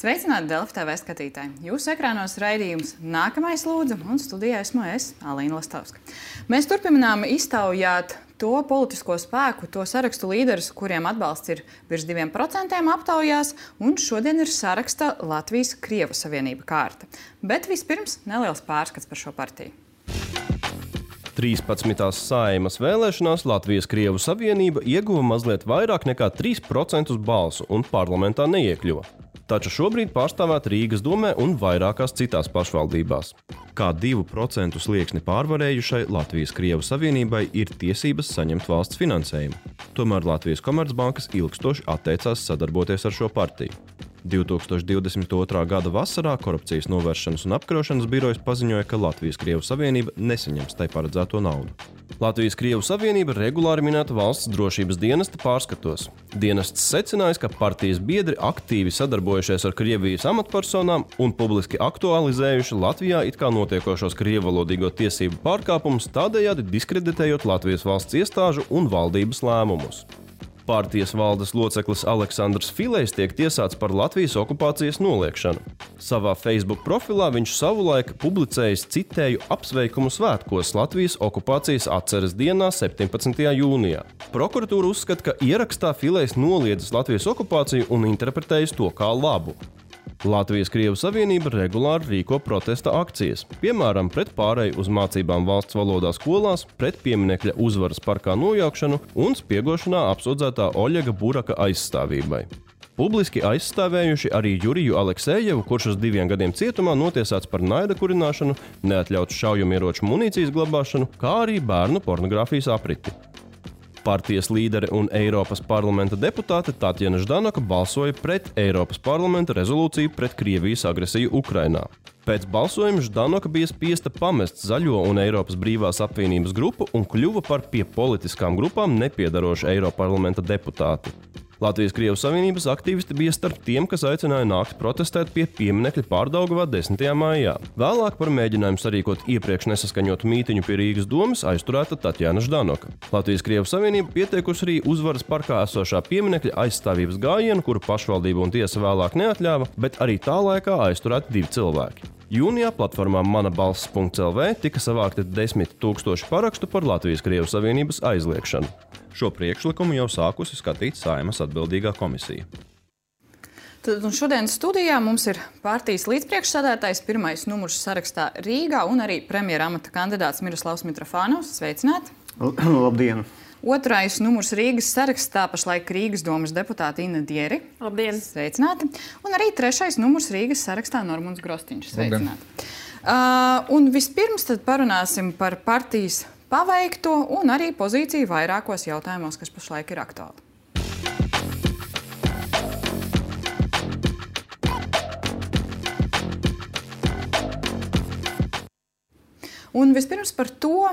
Sveicināti Delfi TV skatītāji! Jūsu ekrānos raidījums Nākamais lūdzu, un studijā esmu es, Alīna Lastovska. Mēs turpinām iztaujāt to politisko spēku, to sarakstu līderus, kuriem atbalsts ir virs 2% aptaujās, un šodien ir saraksta Latvijas-Krievu savienība kārta. Bet vispirms neliels pārskats par šo partiju. 13. Saeimas vēlēšanās Latvijas-Krievu savienība ieguva mazliet vairāk nekā 3% balsu un parlamentā neiekļuva. Taču šobrīd pārstāvēt Rīgas domē un vairākās citās pašvaldībās. Kā 2% slieksni pārvarējušai Latvijas-Krievu savienībai ir tiesības saņemt valsts finansējumu. Tomēr Latvijas Komercbankas ilgstoši atteicās sadarboties ar šo partiju. 2022. gada vasarā Korupcijas novēršanas un apkarošanas birojas paziņoja, ka Latvijas-Krievu savienība nesaņems tai paredzēto naudu. Latvijas-Krievu savienība regulāri minēta valsts drošības dienesta pārskatos. Dienests secinājis, ka partijas biedri aktīvi sadarbojušies ar Krievijas amatpersonām un publiski aktualizējuši Latvijā it kā notiekošos krievalodīgo tiesību pārkāpumus, tādējādi diskreditējot Latvijas valsts iestāžu un valdības lēmumus. Partijas valdes loceklis Aleksandrs Filejs tiek tiesāts par Latvijas okupācijas noliekšanu. Savā Facebook profilā viņš savulaik publicējis, citēju, apsveikumu svētkos Latvijas okupācijas atceres dienā 17. jūnijā. Prokuratūra uzskata, ka ierakstā Filejs noliedzis Latvijas okupāciju un interpretējis to kā labu. Latvijas-Krievu savienība regulāri rīko protesta akcijas, piemēram, pret pāreju uz mācībām valsts valodā skolās, pret pieminekļa Uzvaras parkā nojaukšanu un spiegošanā apsūdzētā Oļega Buraka aizstāvībai. Publiski aizstāvējuši arī Juriju Aleksejevu, kurš uz 2 gadiem cietumā notiesāts par naida kurināšanu, neatļautu šaujamieroču munīcijas glabāšanu, kā arī bērnu pornogrāfijas apriti. Partijas līdere un Eiropas parlamenta deputāte Tatjana Ždanoka balsoja pret Eiropas parlamenta rezolūciju pret Krievijas agresiju Ukrainā. Pēc balsojuma Ždanoka bija spiesta pamest Zaļo un Eiropas brīvās apvienības grupu un kļuva par pie politiskām grupām nepiedarošu Eiroparlamenta deputāti. Latvijas-Krievu savienības aktīvisti bija starp tiem, kas aicināja nākt protestēt pie pieminekļa Pārdaugavā 10. maijā. Vēlāk par mēģinājumu sarīkot iepriekš nesaskaņotu mītiņu pie Rīgas domes aizturēta Tatjana Ždanoka. Latvijas-Krievu savienība pieteikusi arī Uzvaras parkā esošā pieminekļa aizstāvības gājienu, kuru pašvaldība un tiesa vēlāk neatļāva, bet arī tā laikā aizturēti 2 cilvēki. Jūnijā platformā manabalss.lv tika savākti 10 000 parakstu par Latvijas-Krievu savienības aizliekšanu. Šo priekšlikumu jau sākusi skatīt Saeimas atbildīgā komisija. Šodien studijā mums ir partijas līdzpriekšsēdētājs, pirmais numurs sarakstā Rīgā un arī premjera amata kandidāts Miroslavs Mitrofānovs. Sveicināti! Labdien! Otrais numurs Rīgas sarakstā pašlaik Rīgas domas deputāte Inna Dieri. Labdien! Sveicināti! Un arī trešais numurs Rīgas sarakstā Normunds Grostiņš. Sveicināti! Un vispirms tad parunāsim par partijas paveikto un arī pozīciju vairākos jautājumos, kas pašlaik ir aktuāli. Un vispirms par to,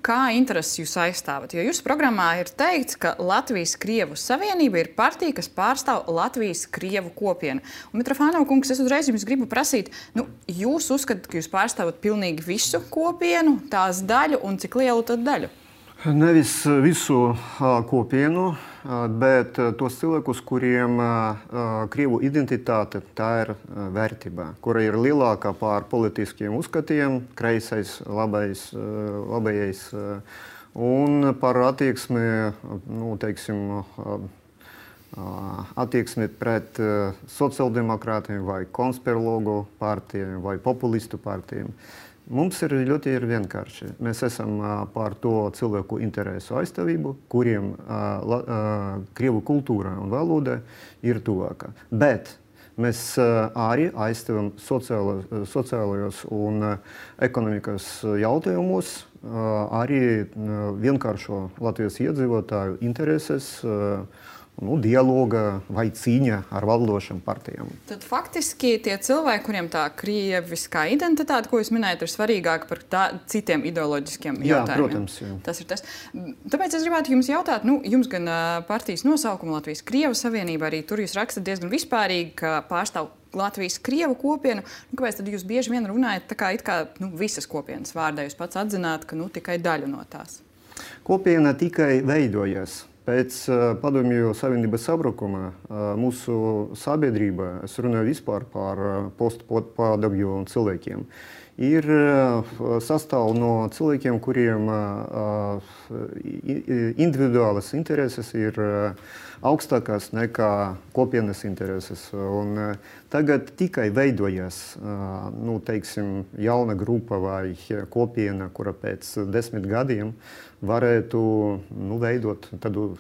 kā intereses jūs aizstāvat. Jo jūsu programmā ir teikts, ka Latvijas-Krievu savienība ir partija, kas pārstāv Latvijas-Krievu kopienu. Un Mitrofānova kungs, es uzreiz jums gribu prasīt, jūs uzskatāt, ka jūs pārstāvat pilnīgi visu kopienu, tās daļu un cik lielu tad daļu? Nevis visu kopienu, bet tos cilvēkus, kuriem Krievu identitāte tā ir vērtība, kura ir lielākā pār politiskiem uzskatiem, kreisais, labējais, un par attieksmi, attieksmi pret sociāldemokrātiem vai konspirologu partijiem vai populistu partijiem. Mums ir ļoti vienkārši. Mēs esam par to cilvēku interesu aizstāvību, kuriem Krievu kultūra un valoda ir tuvāka. Bet mēs arī aizstāvam sociālajos un ekonomikas jautājumos arī vienkāršo Latvijas iedzīvotāju intereses, dialoga vai cīņa ar valdošām partijām. Tad faktiski tie cilvēki, kuriem tā krieviskā identitāte, ko jūs minējat, ir svarīgāka par citiem ideoloģiskiem jautājumiem. Jā, protams. Jā. Tas ir tas. Tāpēc es gribētu jums jautāt, jums gan partijas nosaukuma Latvijas-Krievu savienība, arī tur jūs rakstat diezgan vispārīgi, ka pārstāv Latvijas-Krievu kopienu. Kāpēc tad jūs bieži vien runājat tā kā it kā visas kopienas vārdā? Jūs pats atzināt, ka tikai daļu no tās. Kopiena tikai veidojas. Pēc Padomju Savienības sabrukuma mūsu sabiedrība, es runāju vispār par postpadomju cilvēkiem, ir sastāv no cilvēkiem, kuriem individuālas intereses ir augstākās nekā kopienas intereses. Un tagad tikai veidojas teiksim, jauna grupa vai kopiena, kura pēc 10 gadiem varētu veidot tādu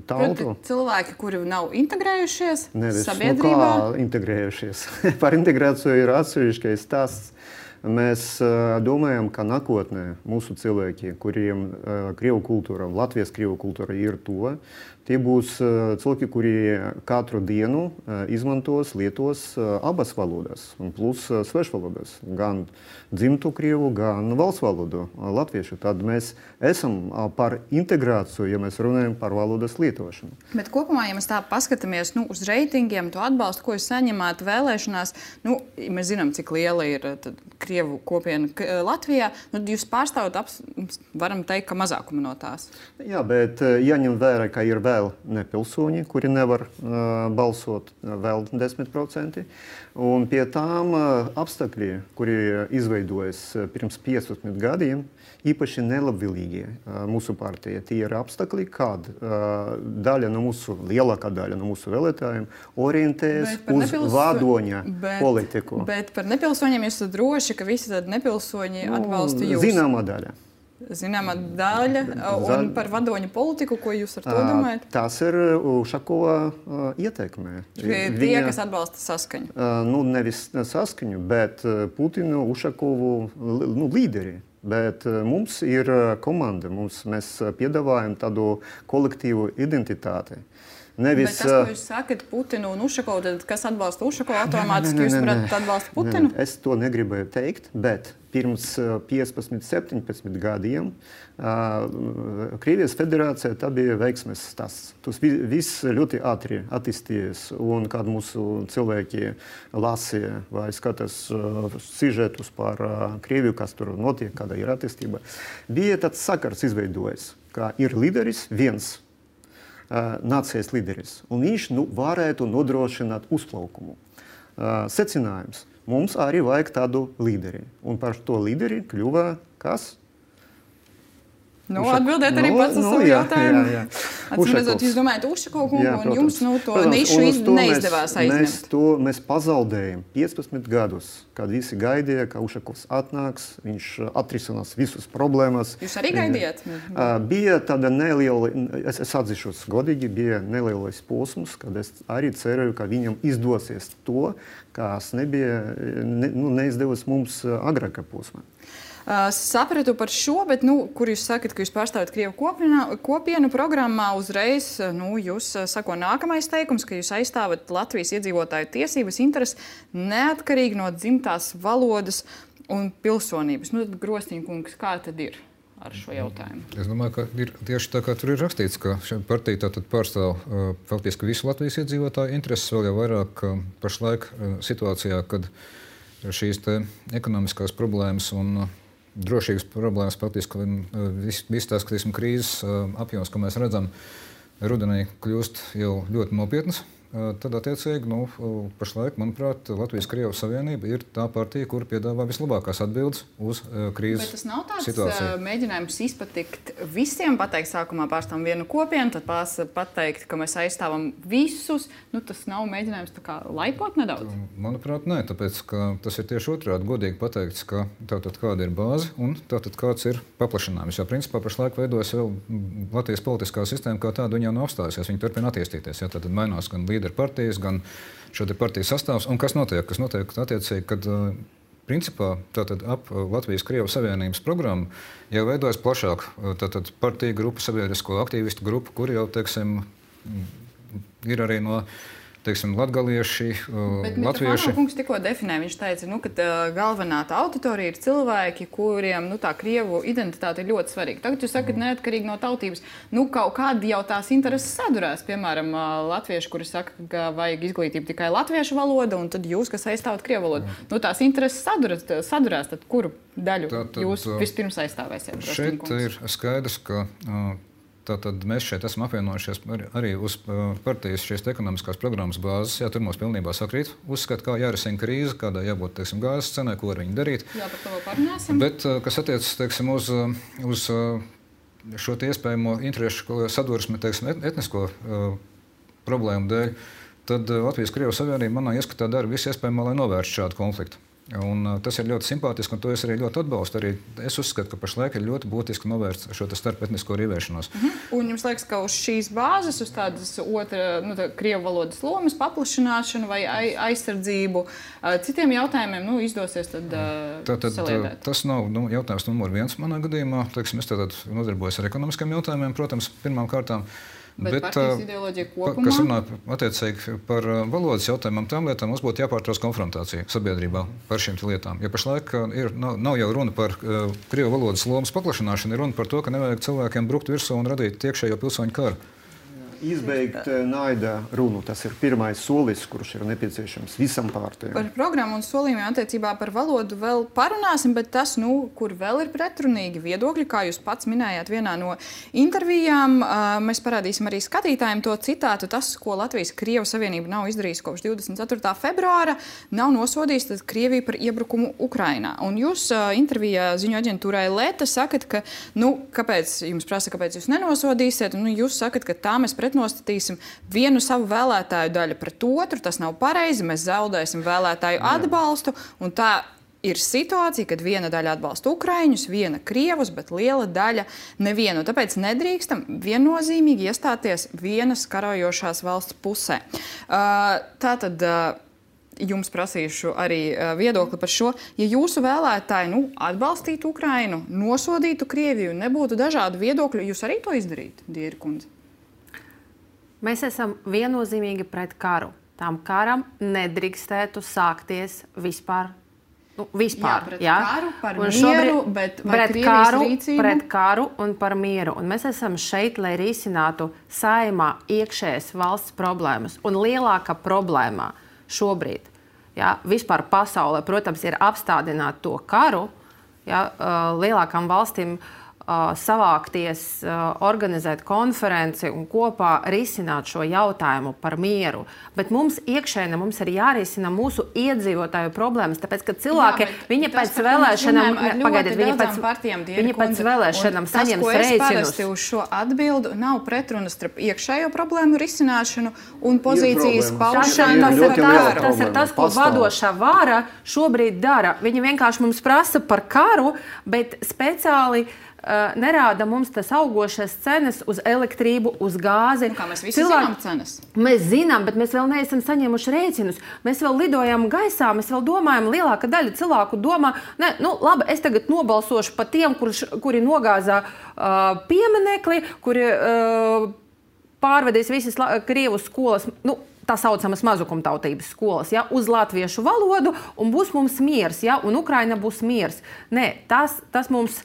tautu. Cilvēki, kuri nav integrējušies sabiedrībā? Kā integrējušies? Par integrāciju ir atsevišķais stāsts. Mēs domājam, ka nākotnē mūsu cilvēki, kuriem krievu kultūra, Latvijas krievu kultūra ir tuva, tie būs cilvēki, kuri katru dienu izmantos, lietos abas valodas, plus svešvalodas, gan dzimtu krievu, gan valsts valodu latviešu. Tad mēs esam par integrāciju, ja mēs runājam par valodas lietošanu. Bet kopumā, ja mēs tā paskatāmies uz reitingiem, to atbalstu, ko jūs saņemāt vēlēšanās, mēs zinām, cik liela ir krievu kopiena Latvijā, jūs pārstāvat, varam teikt, ka mazākumu no tās. Jā, bet jāņem vērā, ka ir vēl nepilsoņi, kuri nevar balsot, vēl 10%. Un pie tām apstākļi, kuri izveidojas pirms 15 gadiem, īpaši nelabvēlīgi mūsu partija. Tie ir apstākļi, kad lielākā daļa no mūsu vēlētājiem orientējas uz vadoņa politiku. Bet par nepilsoņiem jūs esat droši, ka visi tad nepilsoņi atbalsta jūs? Zināmā daļa. Zināmā daļa. Un par vadoņa politiku, ko jūs ar to domājat? Tas ir Ušakova ietekme. Tie, kas atbalsta saskaņu? Nevis saskaņu, bet Putinu, Ušakovu līderi. Bet mums ir komanda, mēs piedāvājam tādu kolektīvu identitāti. Bet tas, ko jūs sakat, Putinu un Ušakovu, tad kas atbalsta Ušakovu automātiski, jūs varat atbalsta Putinu? Es to negribēju teikt, bet pirms 15-17 gadiem Krievijas federācija tā bija veiksmes stāsts. Tas viss ļoti ātri attīstījies, un kad mūsu cilvēki lasīja vai skatās sižetus par Krieviju, kas tur notiek, kāda ir attīstība, bija tāds sakars izveidojies, ka ir līderis viens, nācijas līderis, un viņš varētu nodrošināt uzplaukumu. Secinājums. Mums arī vajag tādu līderi. Un par to līderi kļuva kas? Atbildēt arī pats uz savu jautājumu. Atcīmredzot, jūs domājat Ušakovu kungu, un jums to nišu neizdevās aizņemt. Mēs pazaudējam 15 gadus, kad visi gaidīja, ka Ušakovs atnāks, viņš atrisinās visus problēmas. Jūs arī gaidījāt? Bija tāda neliela, es atzīšos godīgi, bija nelielais posms, kad es arī cerēju, ka viņam izdosies to, kas neizdevās mums agrākā posmā. Sapratu par šo, bet, kur jūs sakat, ka jūs pārstāvat krievu kopienu programmā, uzreiz jūs sako nākamais teikums, ka jūs aizstāvat Latvijas iedzīvotāju tiesības intereses neatkarīgi no dzimtās valodas un pilsonības. Tad, Grosniņa kungs, kā tad ir ar šo jautājumu? Es domāju, ka ir tieši tā, kā tur ir rakstīts, ka šī partija tātad pārstāv faktiski visu Latvijas iedzīvotāju intereses, vēl jau vairāk pašlaik situācijā, kad šīs te ekonomiskās problēmas un drošības problēmas faktiski viss tās krīzes apjoms, ko mēs redzam, rudenī kļūst jau ļoti nopietnas. Tad, attiecīgi, pašlaik, manuprāt, Latvijas-Krievijas Savienība ir tā partija, kur piedāvā vislabākās atbildes uz krīzes situāciju. Bet tas nav tāds mēģinājums izpatikt visiem, pateikt sākumā pārstāvam vienu kopienu, tad pateikt, ka mēs aizstāvam visus. Tas nav mēģinājums tā kā laipot nedaudz? Manuprāt, nē, tāpēc, ka tas ir tieši otrādi godīgi pateikts, ka tātad kāda ir bāze un tātad kāds ir paplašinājums. Jo, principā, pašlaik veidojas vēl Latvijas politiskā sistēma, kā tāda viņa nav apstājusies. Viņa turpina attīstīties. Tātad mainās gan līderu partijas, gan šo te partiju sastāvs. Un kas notiek? Kas notiek attiecīgi, kad principā tātad ap Latvijas-Krievijas Savienības programmu jau veidojas plašāk tātad partiju grupa, sabiedrisko aktīvistu grupa, kuri jau, teiksim, ir arī no latgalieši, latvieši. Kungs tikko definēja, viņš teica, ka galvenā tā auditorija ir cilvēki, kuriem tā krievu identitāte ir ļoti svarīga. Tagad jūs sakat, neatkarīgi no tautības, kaut kādi jau tās intereses sadurās. Piemēram, latvieši, kuri saka, ka vajag izglītību tikai latviešu valoda, un tad jūs, kas aizstāvat krievu valodu. Tās intereses sadurās, tad kuru daļu jūs vispirms aizstāvēsiet? Šeit ir skaidrs, ka Tātad mēs šeit esam apvienojušies arī uz partijas šīs ekonomiskās programmas bāzes. Jā, tur mums pilnībā sakrīt uzskat, kā jārisina krīze, kādai jābūt, teiksim, gāzes cenai, ko ar viņu darīt. Jā, par to vēl parunāsim. Bet, kas attiecas, teiksim, uz šo iespējamo interešu sadursmi, teiksim, etnisko problēmu dēļ, tad Latvijas-Krievijas Savienība manā ieskatā dara visu iespējamo, lai novērstu šādu konfliktu. Un tas ir ļoti simpātiski, un to es arī ļoti atbalstu. Arī es uzskatu, ka pašlaik ir ļoti būtiski novērst šo starpetnisko rīvēšanos. Un jums liekas, ka uz šīs bāzes, uz tādas krievu valodas lomas paplašināšanu vai aizsardzību citiem jautājumiem izdosies tad saliedēt? Tas nav jautājums numur 1 manā gadījumā. Teiksim, es tātad nodarbojos ar ekonomiskiem jautājumiem, protams, pirmām kārtām. Bet partijas ideoloģija kopumā? Kas runā attiecīgi par valodas jautājumiem, tām lietām mums būtu jāpārtrauc konfrontācija sabiedrībā par šīm lietām. Ja pašlaik nav jau runa par krievu valodas lomas paplašināšanu, ir runa par to, ka nevajag cilvēkiem brukt virsū un radīt iekšējo pilsoņu karu. Izbeigt naida runu. Tas ir pirmais solis, kurš ir nepieciešams visam partijām. Par programmu un solījumiem attiecībā par valodu vēl parunāsim, bet tas, kur vēl ir pretrunīgi viedokļi, kā jūs pats minējāt vienā no intervijām, mēs parādīsim arī skatītājiem to citātu. Tas, ko Latvijas-Krievijas Savienība nav izdarījusi kopš 24. februāra, nav nosodījis Krieviju par iebrukumu Ukrainā. Un jūs intervijā ziņu aģentūrai Leta sakat, ka, kāpēc jums prasa, kāpēc jūs nenosodīsiet, un jūs sakat, ka tā mēs nostatīsim vienu savu vēlētāju daļu pret otru. Tas nav pareizi, mēs zaudēsim vēlētāju atbalstu. Un tā ir situācija, kad viena daļa atbalsta Ukraiņus, viena Krievus, bet liela daļa nevienu. Tāpēc nedrīkstam viennozīmīgi iestāties vienas karojošās valsts pusē. Tātad jums prasīšu arī viedokli par šo. Ja jūsu vēlētāji atbalstītu Ukrainu, nosodītu Krieviju, nebūtu dažādu viedokļu, jūs arī to izdarītu, Diera kundze? Mēs esam viennozīmīgi pret karu. Tām karam nedrīkstētu sākties vispār. Karu, par mieru, bet pret karu un par mieru. Un mēs esam šeit, lai risinātu Saeimā iekšējas valsts problēmas. Un lielākā problēma šobrīd, vispār pasaulē, protams, ir apstādināt to karu, lielākām valstīm savākties, organizēt konferenci un kopā risināt šo jautājumu par mieru. Bet mums iekšēnē mums ir jārisina mūsu iedzīvotāju problēmas, tāpēc, ka cilvēki, viņi pēc vēlēšanām, viņi pēc vēlēšanām saņems reiķinus. Tas, ko es parasti uz šo atbildu, nav pretrunas starp iekšējo problēmu risināšanu un pozīcijas paušanu. Tas ir tas, ko vadošā vara šobrīd dara. Viņi vienkārši mums prasa par karu, bet speciāli nerāda mums tas augošās cenas uz elektrību, uz gāzi. Kā mēs visi zinām cenas? Mēs zinām, bet mēs vēl neesam saņēmuši rēķinus. Mēs vēl lidojam gaisā, mēs vēl domājam, lielāka daļa cilvēku domā, labi, es tagad nobalsošu pa tiem, kuri nogāzā pieminekli, kuri pārvedīs visas Krievu skolas, tā saucamas mazukumtautības skolas, uz latviešu valodu, un būs mums miers, un Ukraina būs miers. Nē, tas mums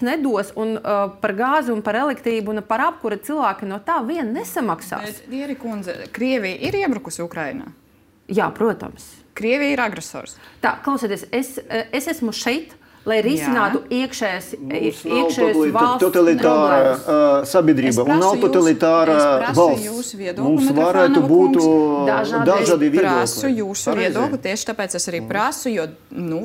nedos, un par gāzi un par elektrību un par apkuri cilvēki no tā vien nesamaksās. Bet, Diera kundze, Krievija ir iebrukusi Ukrainā? Jā, protams. Krievija ir agresors. Tā, klausieties, es esmu šeit, lai risinātu iekšējas valsts totalitāra sabiedrība un nav totalitāra valsts. Mums varētu būt dažādi viedokļi. Es prasu jūsu viedokli, tieši tāpēc es arī prasu, jo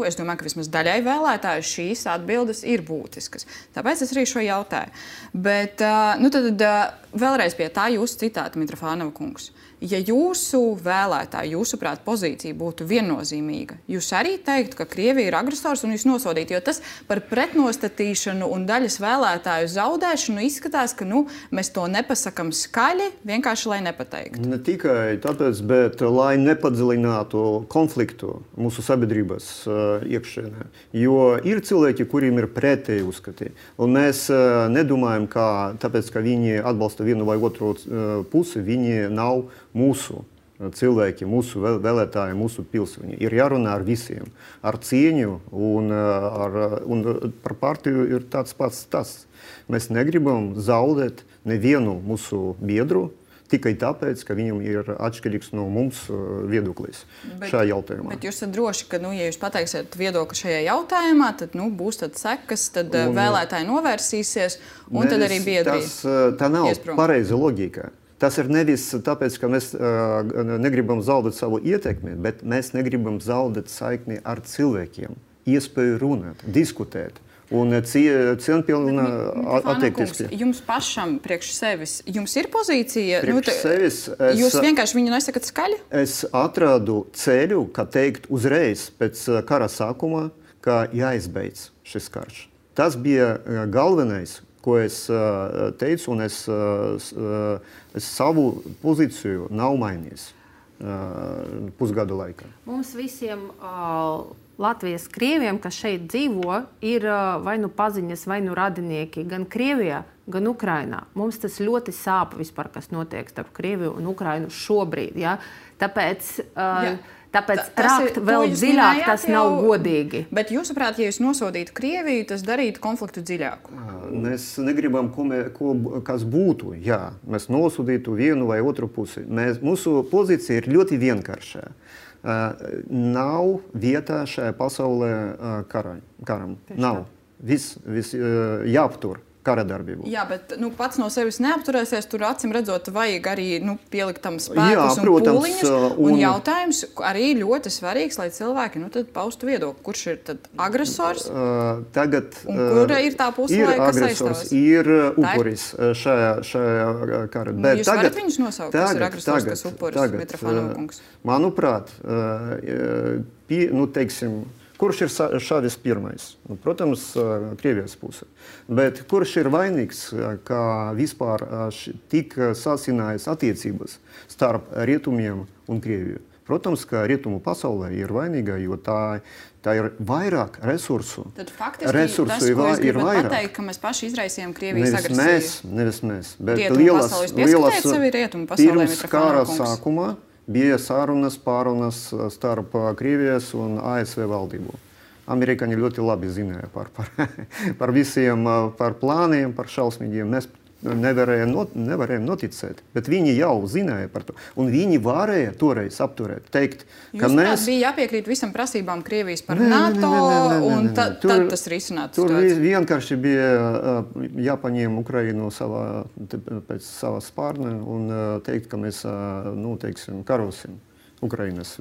es domāju, ka vismaz daļai vēlētāju šīs atbildes ir būtiskas. Tāpēc es arī šo jautāju. Bet tad vēlreiz pie tā jūsu citāta, Mitrofānova kungs. Ja jūsu vēlētāji, jūsuprāt, pozīcija būtu viennozīmīga, jūs arī teiktu, ka Krievija ir agresors un jūs nosodītu, jo tas par pretnostatīšanu un daļas vēlētāju zaudēšanu izskatās, ka mēs to nepasakam skaļi, vienkārši lai nepateiktu. Ne tikai tāpēc, bet lai nepadziļinātu konfliktu mūsu sabiedrības iekšienē. Jo ir cilvēki, kuriem ir pretēji uzskati. Un mēs nedomājam, ka tāpēc, ka viņi atbalsta vienu vai otru pusi, viņi nav mūsu cilvēki, mūsu vēlētāji, mūsu pilsoņi. Ir jārunā ar visiem, ar cieņu un par partiju ir tāds pats tas. Mēs negribam zaudēt nevienu mūsu biedru tikai tāpēc, ka viņam ir atšķirīgs no mums viedoklis šajā jautājumā. Bet jūs esat droši, ka, ja jūs pateiksiet viedokli šajā jautājumā, tad būs sekas, tad vēlētāji novērsīsies, un tad arī biedrība. Tā nav pareiza logika. Tas ir nevis tāpēc, ka mēs negribam zaudēt savu ietekmi, bet mēs negribam zaudēt saikni ar cilvēkiem, iespēju runāt, diskutēt. Un cienpilna attiekties. Jums pašam priekš sevis, jums ir pozīcija? Priekš sevis jūs vienkārši viņu nesakat skaļi? Es atradu ceļu, kā teikt uzreiz pēc kara sākuma, ka jāizbeidz šis karš. Tas bija galvenais, ko es teicu, un es savu pozīciju nav mainījis pusgadu laikā. Mums visiem Latvijas krieviem, kas šeit dzīvo, ir vai nu paziņas, vai nu radinieki gan Krievijā, gan Ukrainā. Mums tas ļoti sāp vispār, kas notiek starp Krieviju un Ukrainu šobrīd. Ja? Tāpēc rakt vēl dziļāk tas nav godīgi. Bet jūsuprāt, ja jūs nosodītu Krieviju, tas darītu konfliktu dziļāku? Mēs negribam, kas būtu, ja mēs nosodītu vienu vai otru pusi. Mūsu pozīcija ir ļoti vienkārša. Nav vietā šajā pasaulē karam. Nav. Viss jāaptur kara darbību. Jā, bet pats no sevis neapturēsies. Tur acīm redzot, vajag arī pielikt tam spēkus un pūliņus. Un jautājums arī ļoti svarīgs, lai cilvēki tad paustu viedokli. Kurš ir tad agresors? Tagad kura ir tā puse, kas aizstāvas? Ir upuris šajā kara. Jūs varat viņus nosaukt, kas ir agresors, kas upuris, Mitrofanova kungs? Manuprāt, teiksim, kurš ir šāvis pirmais? Protams, Krievijas puse. Bet kurš ir vainīgs, ka vispār tik sasinājas attiecības starp rietumiem un Krieviju? Protams, ka rietumu pasaulē ir vainīga, jo tā ir vairāk resursu. Tad faktiski tas, ko jūs gribat pateikt, ka mēs paši izraisījām Krievijas agresiju? Nevis mēs. Bet rietumu pasaulē. Jūs pieskatījat sevi rietumu pasaulē, pirms kara sākuma bija pārunas starp Krievijas un ASV valdību. Amerikāņi ļoti labi zināja par visiem, par plāniem, par šausmīgiem. Mēs nevarējām noticēt, bet viņi jau zināja par to. Un viņi varēja toreiz apturēt, teikt, ka mēs... bija jāpiekrīt visam prasībām Krievijas par NATO, un tad tas risinātu situāciju. Tur vienkārši bija jāpaņem Ukrainu pēc savas spārna un teikt, ka mēs, karosim Ukrainas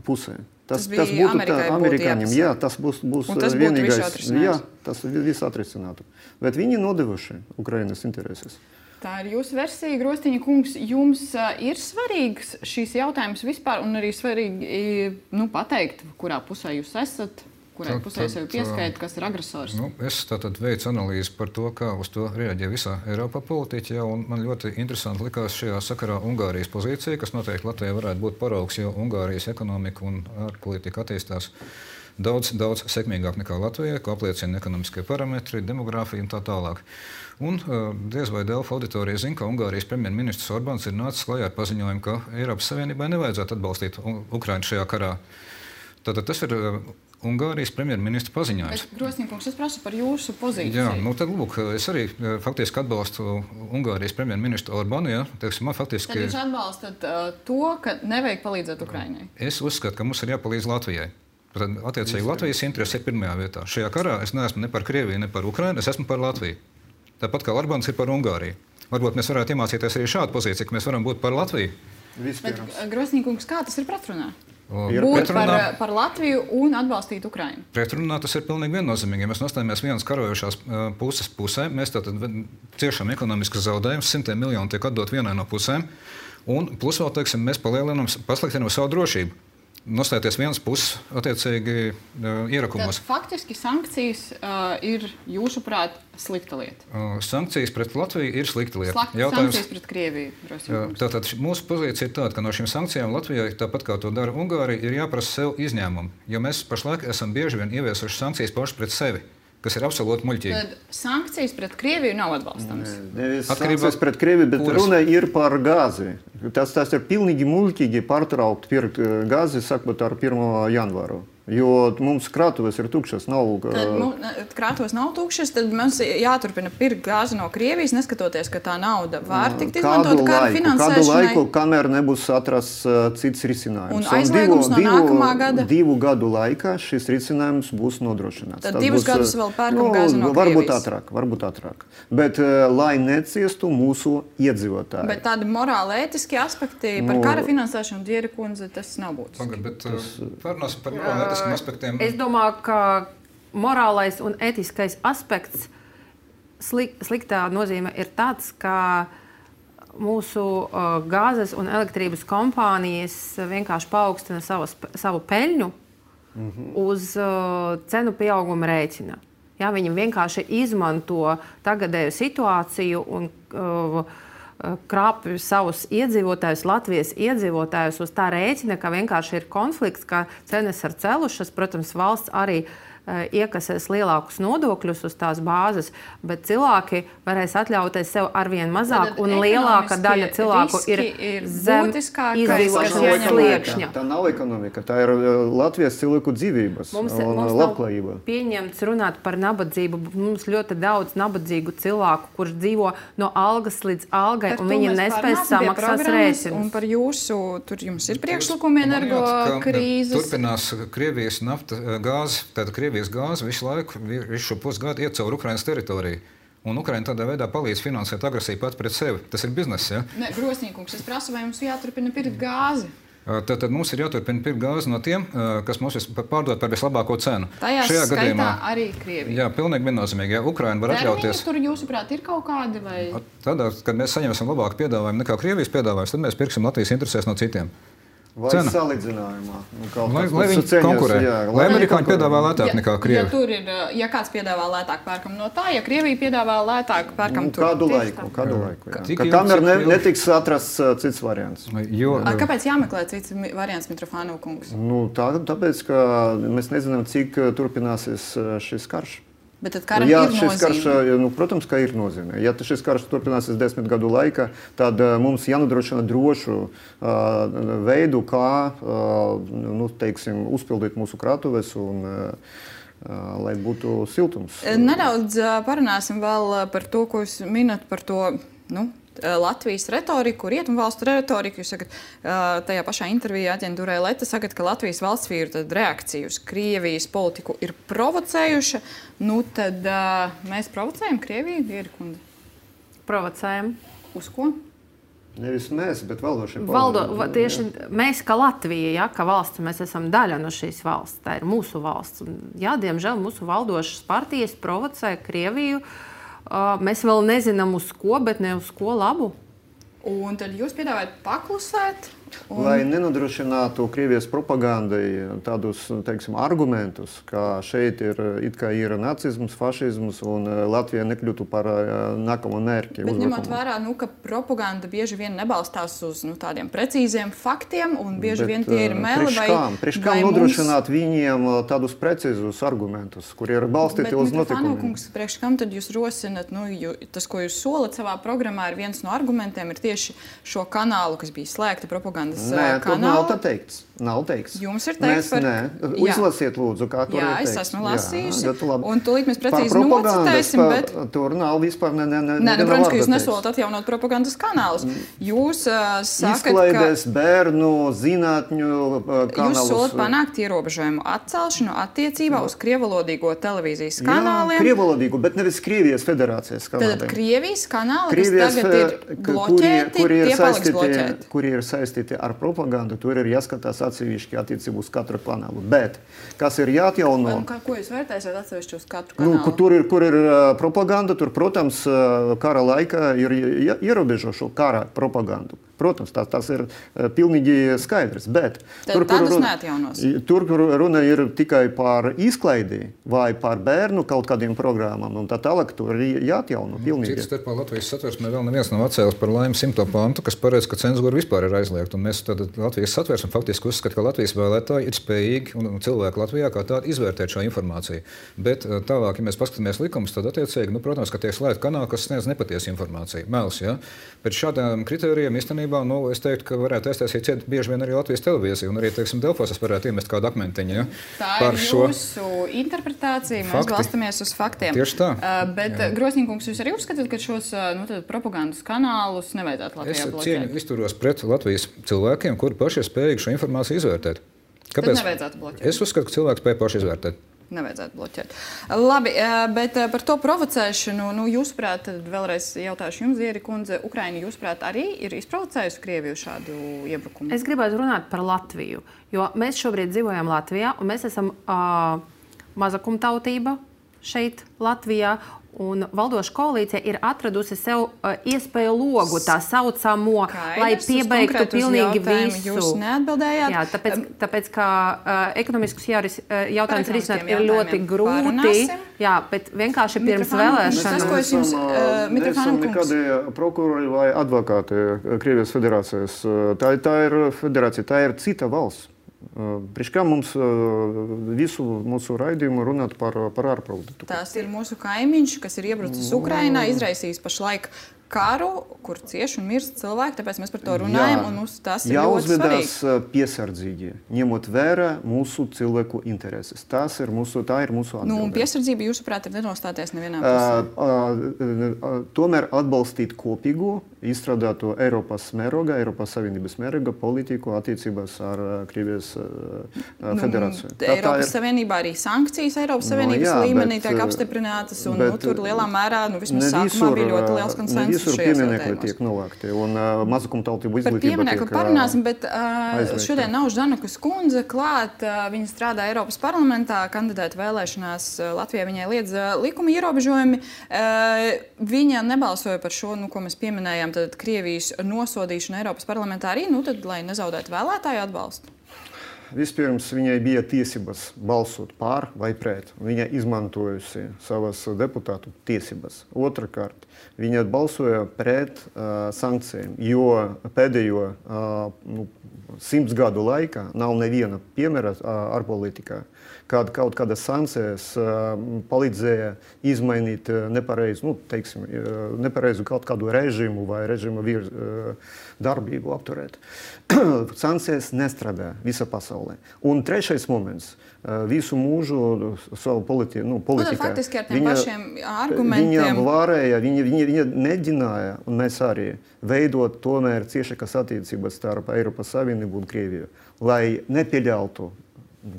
pusē. Tas būtu amerikāņiem. Jā, tas būs vienīgais. Jā, tas viss atrisinātu. Bet viņi nodevuši Ukrainas intereses. Tā ir jūsu versija, Grostiņa kungs. Jums ir svarīgs šīs jautājums vispār un arī svarīgi pateikt, kurā pusē jūs esat, kurai pusē sevi pieskait, kas ir agresors? Es tātad veicu analīzi par to, kā uz to reaģē visā Eiropā politiķi. Un man ļoti interesanti likās šajā sakarā Ungārijas pozīcija, kas noteikti Latvijai varētu būt paraugs, jo Ungārijas ekonomika un ārpolitika attīstās daudz sekmīgāk nekā Latvijai, ko apliecina ekonomiskie parametri, demogrāfija un tā tālāk. Un diez vai Delfa auditorija zina, ka Ungārijas premjerministrs Orbāns ir nācis klajā ar paziņojumu, ka Eiropas Savienībai nevajadzētu atbalstīt Ukrainu šajā karā. Tātad tas ir Ungārijas premjerministra paziņojums. Grosnīkungs, es prasu par jūsu pozīciju. Jā, tad lūk, es arī faktiski atbalstu Ungārijas premjerministru Orbānu. Tad jūs atbalstat to, ka nevajag palīdzēt Ukrainai? Es uzskatu, ka mums ir jāpalīdz Latvijai. Tad, attiecīgi, Latvijas interesi ir pirmajā vietā. Šajā karā es neesmu ne par Krieviju, ne par Ukrainu, es esmu par Latviju. Tāpat kā Orbāns ir par Ungāriju. Varbūt mēs varētu iemācīties arī šādu pozīciju, ka mēs varam būt par Latviju. Bet, Grosnīkungs, kā tas ir pretrunā? Būt par Latviju un atbalstīt Ukrainu. Pretrunā tas ir pilnīgi viennozīmīgi. Ja mēs nostājamies vienas karojošās puses pusē, mēs tātad ciešam ekonomiskas zaudējumus, 100 miljoni tiek atdot vienai no pusēm, un plus vēl, teiksim, mēs pasliktinām savu drošību. Nostāties vienas puses, attiecīgi, ierakumos. Tad faktiski sankcijas ir, jūsuprāt, slikta lieta? Sankcijas pret Latviju ir slikta lieta. Sankcijas pret Krieviju. Tātad mūsu pozīcija ir tāda, ka no šīm sankcijām Latvijai, tāpat kā to dara Ungārija, ir jāprasa sev izņēmumu. Jo mēs pašlaik esam bieži vien ieviesuši sankcijas paši pret sevi, kas ir absolūti muļķīgi. Tad sankcijas pret Krieviju nav atbalstams. Sankcijas pret Krieviju, bet runa ir par gāzi. Tas ir pilnīgi muļķīgi pārtraukt pirkt gāzi, sakot, ar 1. janvāru. jo mums krātuves ir tukšas. Krātuves nav tukšas, tad mums jāturpina pirkt gāzi no Krievijas, neskatoties, ka tā nauda var tikt izmantot kara finansēšanai. Kādu laiku, kamēr nebūs atrasts cits risinājums. Un aizliegums no nākamā gada? 2 gadu laikā šis risinājums būs nodrošināts. Tad 2 gadus vēl pērkam gāzi no Krievijas. Varbūt ātrāk. Bet, lai neciestu mūsu iedzīvotāji. Bet tādi morāli ētiski aspekti par kara finansēšanu, Diera kundze, tas nav būtiski. Bet pārunāsim par morāli ētiskiem aspektiem. Es domāju, ka morālais un ētiskais aspekts sliktā nozīme ir tāds, ka mūsu gāzes un elektrības kompānijas vienkārši paaugstina savu peļņu uz cenu pieauguma rēķina. Ja, viņi vienkārši izmanto tagadēju situāciju un krāpj savus iedzīvotājus, Latvijas iedzīvotājus uz tā rēķina, ka vienkārši ir konflikts, ka cenas ir celušas. Protams, valsts arī iekasēs lielākus nodokļus uz tās bāzes, bet cilvēki varēs atļauties sev arvien mazāk, un lielāka daļa cilvēku ir zem izdzīvošanas sliekšņa. Tā nav ekonomika, tā ir Latvijas cilvēku dzīvības un labklājība. Mums pieņemts runāt par nabadzību. Mums ļoti daudz nabadzīgu cilvēku, kurš dzīvo no algas līdz algai, un viņi nespēs samaksāt rēķinus. Un par jūsu, tur jums ir priekšlikumi energo krīzes. Turpinās Krievijas nafta gāze, tātad Krievijas gāze visu laiku, visu šo pusgadu iet caur Ukrainas teritoriju. Un Ukraina tādā veidā palīdz finansēt agresiju pat pret sevi. Tas ir bizness, ja? Ne, Grosnīkungs, es prasu, vai mums jāturpina pirkt gāzi? Tad mums ir jāturpina pirkt gāzi no tiem, kas mums pārdod par vislabāko cenu. Tajā skaitā arī Krievija. Jā, pilnīgi viennozīmīgi. Ja Ukraina var atļauties. Tur, jūsuprāt, ir kaut kādi vai? Tad, kad mēs saņemsim labāku piedāvājumu nekā Krievijas piedāvājums, tad mēs pirksim Latvijas interesēs no citiem. Vai salīdzinājumā? Lai viņi konkurē. Lai amerikāņi piedāvā lētāk nekā Krievi. Ja kāds piedāvā lētāk, pērkam no tā, ja Krievija piedāvā lētāk, pērkam tur. Kādu laiku. Kamēr netiks atrasts cits variants. Kāpēc jāmeklē cits variants, Mitrofānov kungs? Tāpēc, ka mēs nezinām, cik turpināsies šis karš. Bet tad karam ir nozīme? Protams, ka ir nozīme. Ja šis karš turpināsies 10 gadu laikā, tad mums jānodrošina drošu veidu, kā uzpildīt mūsu krātuves un lai būtu siltums. Nedaudz parunāsim vēl par to, ko jūs minat par to, Latvijas retoriku, rietumvalstu retoriku. Jūs sakat, tajā pašā intervijā aģentūrai Leta sakat, ka Latvijas valsts vīru reakcija uz Krievijas politiku ir provocējuša. Tad mēs provocējam Krieviju, Diera kundze? Provocējam. Uz ko? Nevis mēs, bet valdošie tieši mēs, kā Latvija, kā valsts, mēs esam daļa no šīs valsts. Tā ir mūsu valsts. Jā, diemžēl mūsu valdošas partijas provocē Krieviju. Mēs vēl nezinām uz ko, bet ne uz ko labu. Un tad jūs piedāvājat paklusēt? Lai nenodrošinātu Krievijas propagandai tādus, argumentus, ka šeit ir nacisms, fašisms un Latvija nekļūtu par nākamo mērķi. Bet ņemot vērā, ka propaganda bieži vien nebalstās uz tādiem precīziem faktiem un bieži vien tie ir meli Priekš kam nodrošināt viņiem tādus precīzus argumentus, kuri ir balstīti uz notikumiem? Priekš kam tad jūs rosinat, tas, ko jūs solat savā programmā, ir viens no argumentiem, ir tieši šo kanālu, kas bija slēgta propagandas kanāla. Nav teikts. Jums ir teikts par... Izlasiet, lūdzu, kā tur ir teikts. Jā, es esmu lasījusi. Un tūlīt mēs precīzi nocitēsim, bet... Tur nav vispār protams, ka jūs nesolat atjaunot propagandas kanālus. Jūs sakat, Izklaides, bērnu, zinātņu kanālus. Jūs solat panākt ierobežojumu atcelšanu attiecībā uz krievalodīgo televīzijas kanāliem. Jā, krievalodīgu, bet nevis Krievijas federācijas kanāliem. Tad Krievijas kanāli, kas tagad ir bloķēti, tie paliks bloķēti. Kuri ir saistīti ar propagandu, tur ir jāskatās atsevišķi attiecībā uz katru kanālu. Bet, kas ir jāatjauno... Ko jūs vērtēsiet atsevišķi uz katru kanālu? Kur ir propaganda, tur, protams, kara laikā ir ierobežo šo kara propagandu. Protams, tas ir pilnīgi skaidrs, bet tur, kur runa ir tikai par izklaidi vai par bērnu kaut kādiem programmām, un tā tālāk tur ir jāatjauno pilnīgi. Cits starpā Latvijas satversmē vēl neviens nav atcēlis par laimi 100. pantu, kas paredz, ka cenzūra vispār ir aizliegta. Un mēs tad Latvijas satversmē faktiski uzskatām, ka Latvijas vēlētāji ir spējīgi un cilvēki Latvijā kā tādi izvērtēt šo informāciju. Bet tālāk, ja mēs paskatāmies likumus, tad attiecīgi, protams, ka tiek slēgta kanāli, kas sniedz nepatiesu informāciju. Mels, ja? Pēc šādām kritērijiem īstenībā īstenībā, es teiktu, ka varētu aiztaisīt ciet bieži vien arī Latvijas televīziju, un arī, teiksim, Delfos es varētu iemest kādu akmentiņu, ja? Tā par ir šo jūsu interpretācija, mēs fakti. balstamies uz faktiem. Tieši tā. Bet, Grosņīkungs, jūs arī uzskatāt, ka šos propagandas kanālus nevajadzētu Latvijā bloķēt? Es cieņu izturos pret Latvijas cilvēkiem, kuri paši ir spējīgi šo informāciju izvērtēt. Kāpēc? Tad nevajadzētu bloķēt. Es uzskatu, ka cilvēks spēj paši izvērtēt. Nevajadzētu bloķēt. Labi, bet par to provocēšanu, jūsuprāt, vēlreiz jautāšu jums, Zieri kundze, Ukraina, jūsuprāt, arī ir izprovocējusi Krieviju šādu iebrukumu? Es gribētu runāt par Latviju, jo mēs šobrīd dzīvojam Latvijā, un mēs esam mazakumtautība šeit Latvijā. Un valdoša koalīcija ir atradusi sev iespēju logu, tā saucamo, lai piebeigtu pilnīgi visu. Jūs neatbildējāt. Jā, tāpēc ka ekonomiskus jautājumus risināt ir ļoti grūti. Jā, bet vienkārši pirms vēlēšanām. Mēs neesam nekādi prokurori vai advokāti Krievijas federācijas. Tā ir federācija, tā ir cita valsts. Priekš kā mums visu mūsu raidījumu runāt par ārpolitiku? Tās ir mūsu kaimiņš, kas ir iebrucis Ukrainā, izraisījis pašlaik karu, kur cieši un mirst cilvēki, tāpēc mēs par to runājam, un mums tas ir ļoti svarīgi. Jāuzvedās piesardzīgi, ņemot vērā mūsu cilvēku intereses. Tā ir mūsu atbildība. Un piesardzība, jūsuprāt, ir nenostāties nevienā pusē? Tomēr atbalstīt kopīgu, izstrādāto Eiropas mēroga, Eiropas Savienības mēroga politiku attiecībās ar Krievijas federāciju. Eiropas Savienībā arī sankcijas Eiropas Savienības līmenī tiek apstiprinātas, un tur lielā mērā, vismaz sākumā bija ļoti liels konsensus. Visur pieminekļi tiek novākti, un mazakumtautību izglītība tiek Par pieminekli parunāsim, bet šodien nav Ždanukas kundze klāt. Viņa strādā Eiropas parlamentā, kandidēta vēlēšanās Latvijā, viņai liedz likuma ierobežojumi. Viņa nebalsoja par šo, ko mēs pieminējām, tad Krievijas nosodīšanu Eiropas parlamentā arī, tad, lai nezaudētu vēlētāju atbalstu. Vispirms viņai bija tiesības balsot pār vai pret. Viņa izmantojusi savas deputātu tiesības. Otrakārt, viņa balsoja pret sankcijām, jo pēdējo 100 gadu laikā nav neviena piemēra ārpolitikā, kad kaut kādas sankcijas palīdzēja izmainīt nepareizu kaut kādu režīmu vai režīmu darbību apturēt. Sankcijas nestrādā visā pasaulē. Un trešais moments. Visu mūžu savu politikā. Faktiski ar tiem pašiem argumentiem. Viņa varēja, viņa mēģināja, un mēs arī, veidot tomēr ciešākas attiecības starp Eiropas Savienību un Krieviju, lai nepieļautu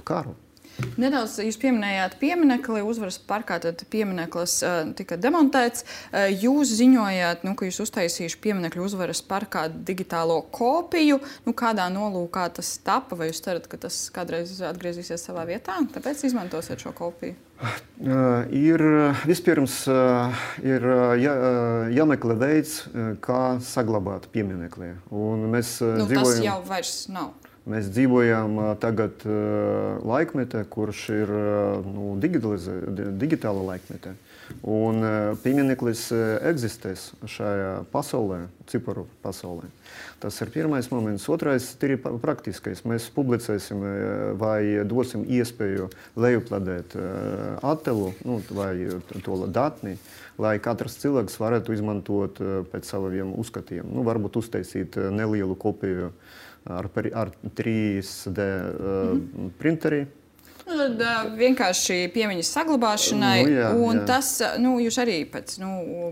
karu. Nedaudz jūs pieminējāt pieminekli, uzvaras parkā, tad piemineklis tika demontēts. Jūs ziņojāt, ka jūs uztaisījuši pieminekļu uzvaras parkā digitālo kopiju. Kādā nolūkā tas tapa, vai jūs cerat, ka tas kādreiz atgriezīsies savā vietā? Tāpēc izmantosiet šo kopiju? Vispirms ir jāmeklē veids, kā saglabāt pieminekli. Tas jau vairs nav. Mēs dzīvojam tagad laikmetē, kurš ir digitāla laikmetē. Un piemineklis eksistēs šajā pasaulē, ciparu pasaulē. Tas ir pirmais moments. Otrais ir praktiskais. Mēs publicēsim vai dosim iespēju lejupladēt attēlu vai to datni, lai katrs cilvēks varētu izmantot pēc saviem uzskatiem. Varbūt uztaisīt nelielu kopiju ar 3D printeri. Tad vienkārši piemiņas saglabāšanai, tas, jūs arī pēc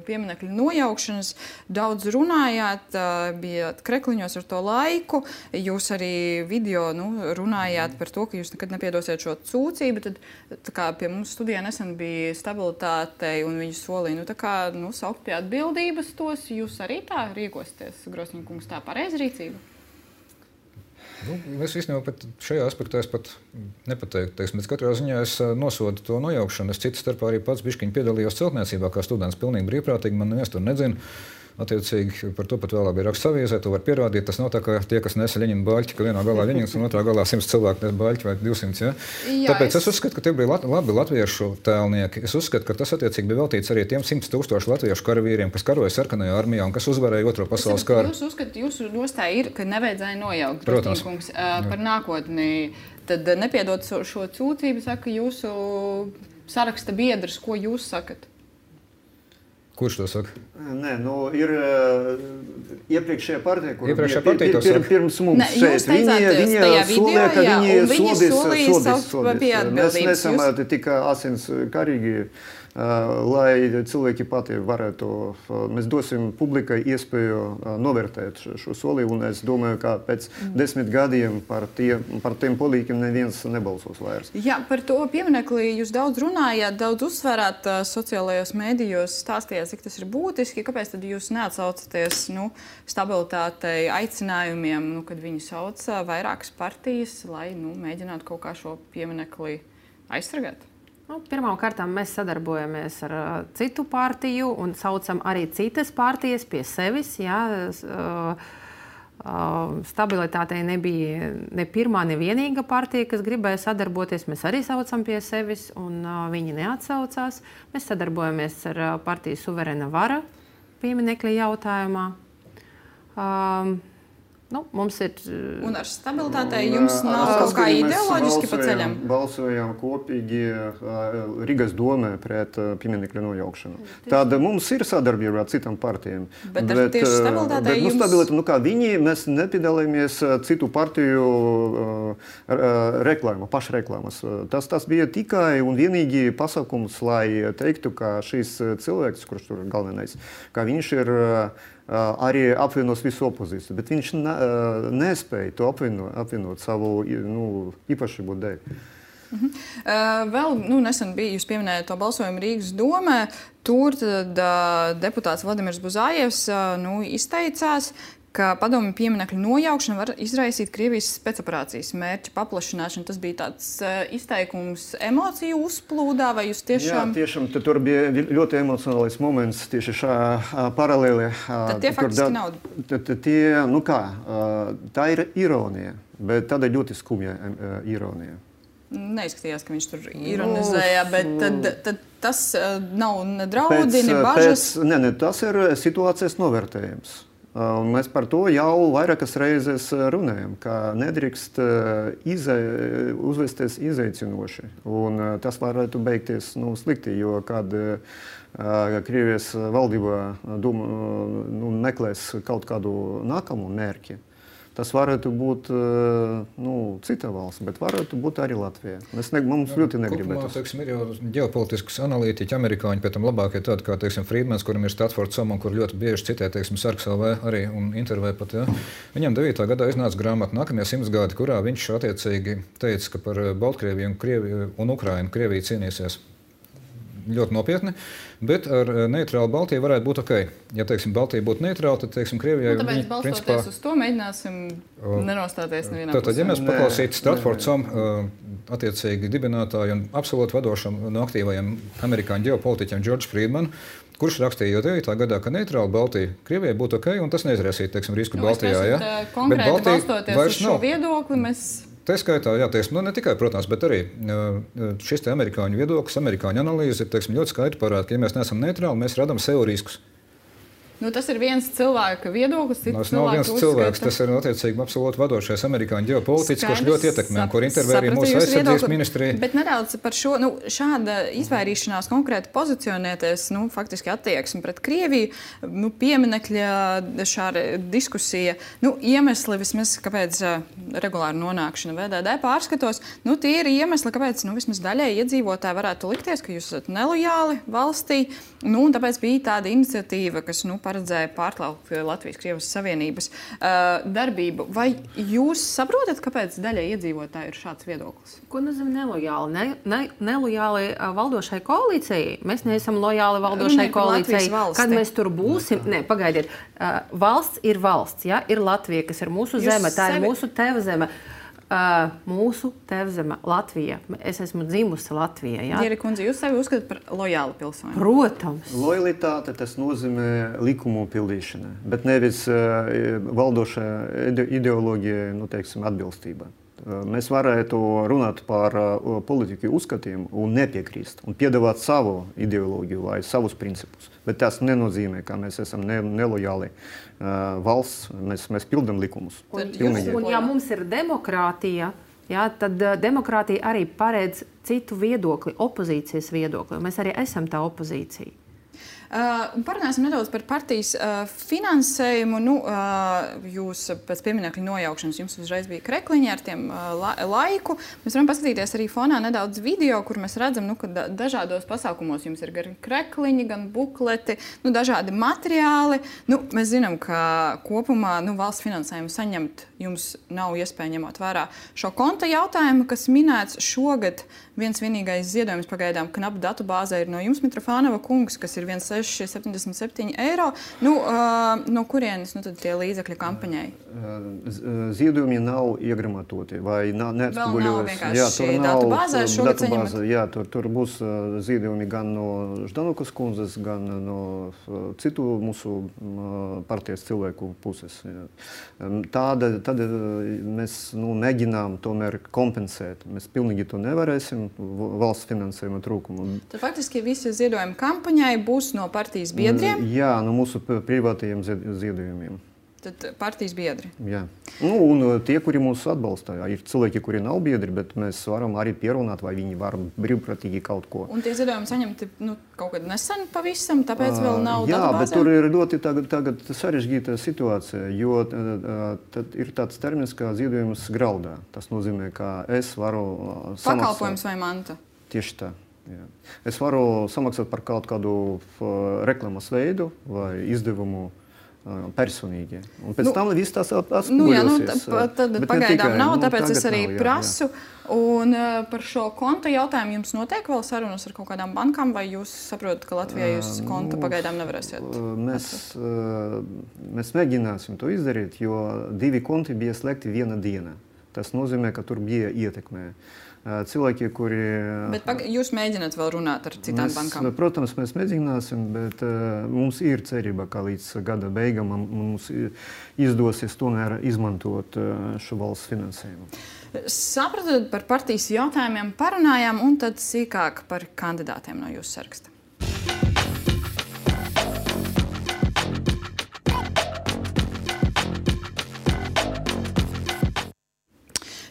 pieminekļu nojaukšanas daudz runājāt, bijāt krekliņos ar to laiku, jūs arī video runājāt par to, ka jūs nekad nepiedosiet šo sūdzību, tad tā kā pie mums studijā nesen bija stabilitātei un viņi solīja, saukt pie atbildības tos, jūs arī tā rīkosieties, Grosņīkungs, tā pareiza rīcība? Es īstenībā šajā aspektā pat nepateiktu, bet katrā ziņā es nosodu to nojaukšanu. Es citu starpā arī pats bišķiņi piedalījos celtniecībā kā students pilnīgi brīvprātīgi, man neviens tur nedzina. Attiecīgi par to pat vēlāk bija raksts avīzē, to var pierādīt. Tas nav tā, ka tie, kas nesa Ļeņina baļķi, ka vienā galā Ļeņins un otrā galā 100 cilvēku nes baļķi vai 200. Ja? Tāpēc es uzskatu, ka tie bija labi latviešu tēlnieki. Es uzskatu, ka tas attiecīgi bija veltīts arī tiem 100 000 latviešu karavīriem, kas karoja sarkanajā armijā un kas uzvarēja Otro pasaules karu. Jūs uzskatāt, jūsu nostāja ir, ka nevajadzēja nojaukt, Grosņīkungs, par nākotni. Tad nepiedot šo sūdzību, saka jūsu saraksta biedrs, ko jūs sakat? Kurš to saka? Nē, ir iepriekšējā partija, kur pirms mums šeit. Viņi solīja, ka viņi sodīs. Mēs nesam tik asins karīgi, lai cilvēki pati varētu, mēs dosim publikai iespēju novērtēt šo soli, un es domāju, ka pēc 10 gadiem par tiem politikiem neviens nebalsos vairs. Jā, par to pieminekli jūs daudz runājāt, daudz uzsverāt sociālajos mēdījos, stāstījāt, cik tas ir būtiski. Kāpēc tad jūs neatsaucaties stabilitātei, aicinājumiem, kad viņi sauc vairākas partijas, lai mēģinātu kaut kā šo pieminekli aizsargāt? Pirmkārt, mēs sadarbojamies ar citu partiju un saucam arī citas partijas pie sevis. Stabilitātei nebija ne pirmā, ne vienīga partija, kas gribēja sadarboties. Mēs arī saucam pie sevis, un viņi neatsaucās. Mēs sadarbojamies ar partiju Suverēna vara pieminekļa jautājumā. Mums ir... Un ar stabilitātei jums nav kaut kā ideoloģiski pa ceļam? Balsojām kopīgi Rīgas domē pret pieminekļa nojaukšanu. Tāda mums ir sadarbība ar citām partijām. Bet tieši stabilitātei jums... Mēs nepiedalāmies citu partiju pašreklāmas. Tas bija tikai un vienīgi pasākums, lai teiktu, ka šīs cilvēks, kurš tur galvenais, ka viņš ir arī apvienos visu opozīciju, bet viņš nespēja to apvienot savu īpašību dēļ. Vēl nesen bija, jūs pieminējāt to balsojumu Rīgas domē, tur deputāts Vladimirs Buzājevs izteicās, ka padomju pieminekļu nojaukšana var izraisīt Krievijas spēcoperācijas mērķa paplašināšanu. Tas bija tāds izteikums emociju uzplūdā, vai jūs tiešām... Jā, tiešām, tur bija ļoti emocionālais moments tieši paralēli. Tad tie faktiski nav... Tā ir ironija, bet tāda ļoti skumja ironija. Neizskatījās, ka viņš tur ironizēja, bet tad tas nav ne draudi, ne bažas? Tas ir situācijas novērtējums. Un mēs par to jau vairākas reizes runājam, ka nedrīkst uzvesties izaicinoši. Un tas varētu beigties slikti, jo kad Krievijas valdība meklēs kaut kādu nākamu mērķi, tas varētu būt cita valsts, bet varētu būt arī Latvija. Mums ļoti negribētu. Ir jau ģeopolitiskas analītiķi, amerikāņi, pēc tam labākie tādi kā, Friedmans, kuram ir Statfords Somon, kur ļoti bieži citē, Sarksalvē arī un intervē pat. Ja. Viņam 9. gadā iznāca grāmata Nākamie 100 gadi, kurā viņš attiecīgi teica, ka par Baltkrieviju un Ukrainu Krievija cīnīsies ļoti nopietni, bet ar neitrālu Baltiju varētu būt ok. Ja, Baltija būtu neitrāla, tad, Krievijai... Tāpēc balstoties uz to mēģināsim nenostāties nevienā pusē. Tātad, ja mēs paklausītu Stratfords Somon attiecīgi dibinātāju un absolūti vadošam no aktīvajiem amerikāņu ģeopolitiķiem George Friedman, kurš rakstīja jau 9. gadā, ka neitrāla Baltija Krievijai būtu ok, un tas neizraisītu, risku Baltijā. Ja? Konkrēti balstoties uz šo viedokli, mēs... Tā skaitā, ne tikai, protams, bet arī šis amerikāņu viedoklis, amerikāņu analīze ir ļoti skaidri parāda, ka, ja mēs neesam neitrāli, mēs radām sev riskus. Tas ir viens cilvēka viedoklis, tas nav viens cilvēks, tas ir attiecīgi absolūti vadošais amerikāņu ģeopolitiķis, kurš ļoti ietekmē, kur intervē arī mūsu aizsardzības ministrija. Bet nedaudz par šo, šāda izvairīšanās konkrēti pozicionēties, faktiski attieksmi pret Krieviju, pieminekļa šāda diskusija, iemesli vismaz, kāpēc regulāra nonākšana VDD pārskatos, tie ir iemesli, kāpēc, vismaz daļai iedzīvotāji varētu likties, ka jūs esat nelojāli valstī, un tāpēc bija tāda iniciatīva, kas, paredzēja pārtraukt Latvijas-Krievijas Savienības darbību. Vai jūs saprotat, kāpēc daļai iedzīvotāji ir šāds viedoklis? Ko nozīmē nelojāli? Nelojāli valdošai koalīcijai? Mēs neesam lojāli valdošai koalīcijai. Kad mēs tur būsim? Nē, pagaidiet. Valsts ir valsts. Ja? Ir Latvija, kas ir mūsu zeme. Tā ir mūsu tēva zeme. Mūsu tēvzeme Latvija. Es esmu dzimusi Latvijā. Ja? Dieri kundze, jūs sevi uzskatāt par lojālu pilsoni? Protams. Lojalitāte tas nozīmē likumu pildīšana, bet nevis valdošā ideoloģija, atbilstība. Mēs varētu runāt par politiku uzskatiem un nepiekrist un piedāvāt savu ideoloģiju vai savus principus. Bet tas nenozīmē, ka mēs esam nelojāli valsts, mēs pildam likumus. Un ja mums ir demokrātija, tad demokrātija arī paredz citu viedokli, opozīcijas viedokli. Mēs arī esam tā opozīcija. Parunāsim nedaudz par partijas finansējumu. Jūs pēc pieminekļa nojaukšanas jums uzreiz bija krekliņi ar tiem laiku. Mēs varam paskatīties arī fonā nedaudz video, kur mēs redzam, ka dažādos pasākumos jums ir gan krekliņi, gan bukleti, dažādi materiāli. Mēs zinām, ka kopumā valsts finansējumu saņemt jums nav iespēja ņemot vērā šo konta jautājumu, kas minēts šogad. Viens vienīgais ziedojums pagaidām knap datubāzē ir no jums, Mitrofānova kungs, kas ir 1,677 eiro. No kurienes tad tie līdzekļi kampaņai? Ziedojumi nav iegramatoti vai neatspoguļojas. Jā, tur nav datubāzē šogad saņemat. Jā, tur būs ziedojumi gan no Ždanukas kundzes, gan no citu mūsu partijas cilvēku puses. Tad mēs mēģinām tomēr kompensēt. Mēs pilnīgi to nevarēsim. Valsts finansējuma trūkumu. Tad faktiski visi ziedojumi kampaņai būs no partijas biedriem? Jā, no mūsu privātajiem ziedojumiem. Tad partijas biedri? Jā. Un tie, kuri mūs atbalsta. Ir cilvēki, kuri nav biedri, bet mēs varam arī pierunāt, vai viņi var brīvprātīgi kaut ko. Un tie ziedojumi saņemti kaut kad nesen pavisam, tāpēc vēl nav datubāzē? Jā, bet tur ir ļoti tagad sarežģīta situācija, jo tad ir tāds termins kā ziedojums graudā. Tas nozīmē, ka es varu samaksāt... Pakalpojums vai manta? Tieši tā. Jā. Es varu samaksāt par kaut kādu reklamas veidu vai izdevumu personīgi. Un pēc tam viss tas atspoguļosies. Tad pagaidām nav, tāpēc es arī prasu. Un par šo konta jautājumu jums notiek vēl sarunas ar kaut kādām bankām, vai jūs saprotat, ka Latvijā jūs konta pagaidām nevarēsiet? Mēs mēģināsim to izdarīt, jo 2 konti bija slēgti viena diena. Tas nozīmē, ka tur bija ietekmē. Cilvēki, kuri... Bet jūs mēģināt vēl runāt ar citām bankām? Protams, mēs mēģināsim, bet mums ir cerība, ka līdz gada beigām mums izdosies tomēr izmantot šo valsts finansējumu. Sapratot, par partijas jautājumiem parunājām, un tad sīkāk par kandidātiem no jūsu saraksta.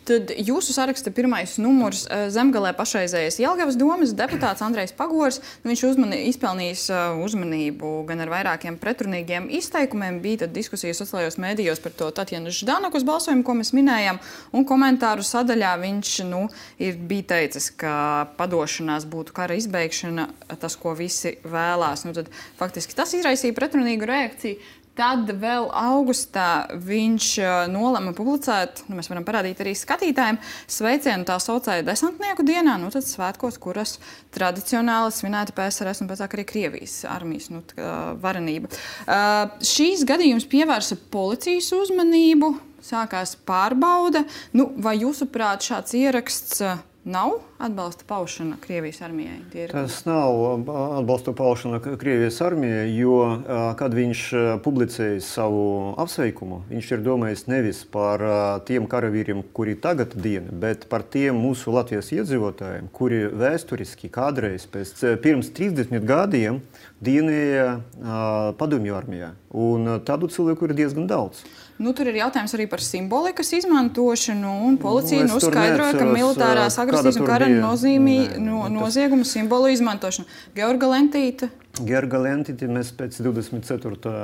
Tad jūsu saraksta pirmais numurs Zemgalē pašreizējais Jelgavas domas deputāts Andrejs Pagors. Viņš izpelnījis uzmanību gan ar vairākiem pretrunīgiem izteikumiem. Bija tad diskusijas sociālajos mēdījos par to Tatjanas Ždanukas balsojumu, ko mēs minējām. Un komentāru sadaļā viņš bija teicis, ka padošanās būtu kara izbeigšana, tas, ko visi vēlās. Tad faktiski tas izraisīja pretrunīgu reakciju. Tad vēl augustā viņš nolēma publicēt, mēs varam parādīt arī skatītājiem, sveicienu tā saucēja desantnieku dienā, tad svētkos, kuras tradicionāli svinēta PSRS un pēc arī Krievijas armijas varenība. Šīs gadījums pievērsa policijas uzmanību, sākās pārbauda. Vai jūsuprāt šāds ieraksts nav atbalsta paušana Krievijas armijai? Tas nav atbalsta paušana Krievijas armijai, jo, kad viņš publicēja savu apsveikumu, viņš ir domājis nevis par tiem karavīriem, kuri tagad diena, bet par tiem mūsu Latvijas iedzīvotājiem, kuri vēsturiski kādreiz pirms 30 gadiem dienēja padomju armijā. Un tādu cilvēku ir diezgan daudz. Tur ir jautājums arī par simbolikas izmantošanu, un policija skaidroja, ka militārās agresijas un kara noziegumu simbolu izmantošanu. Georga Lentīte mēs pēc 24.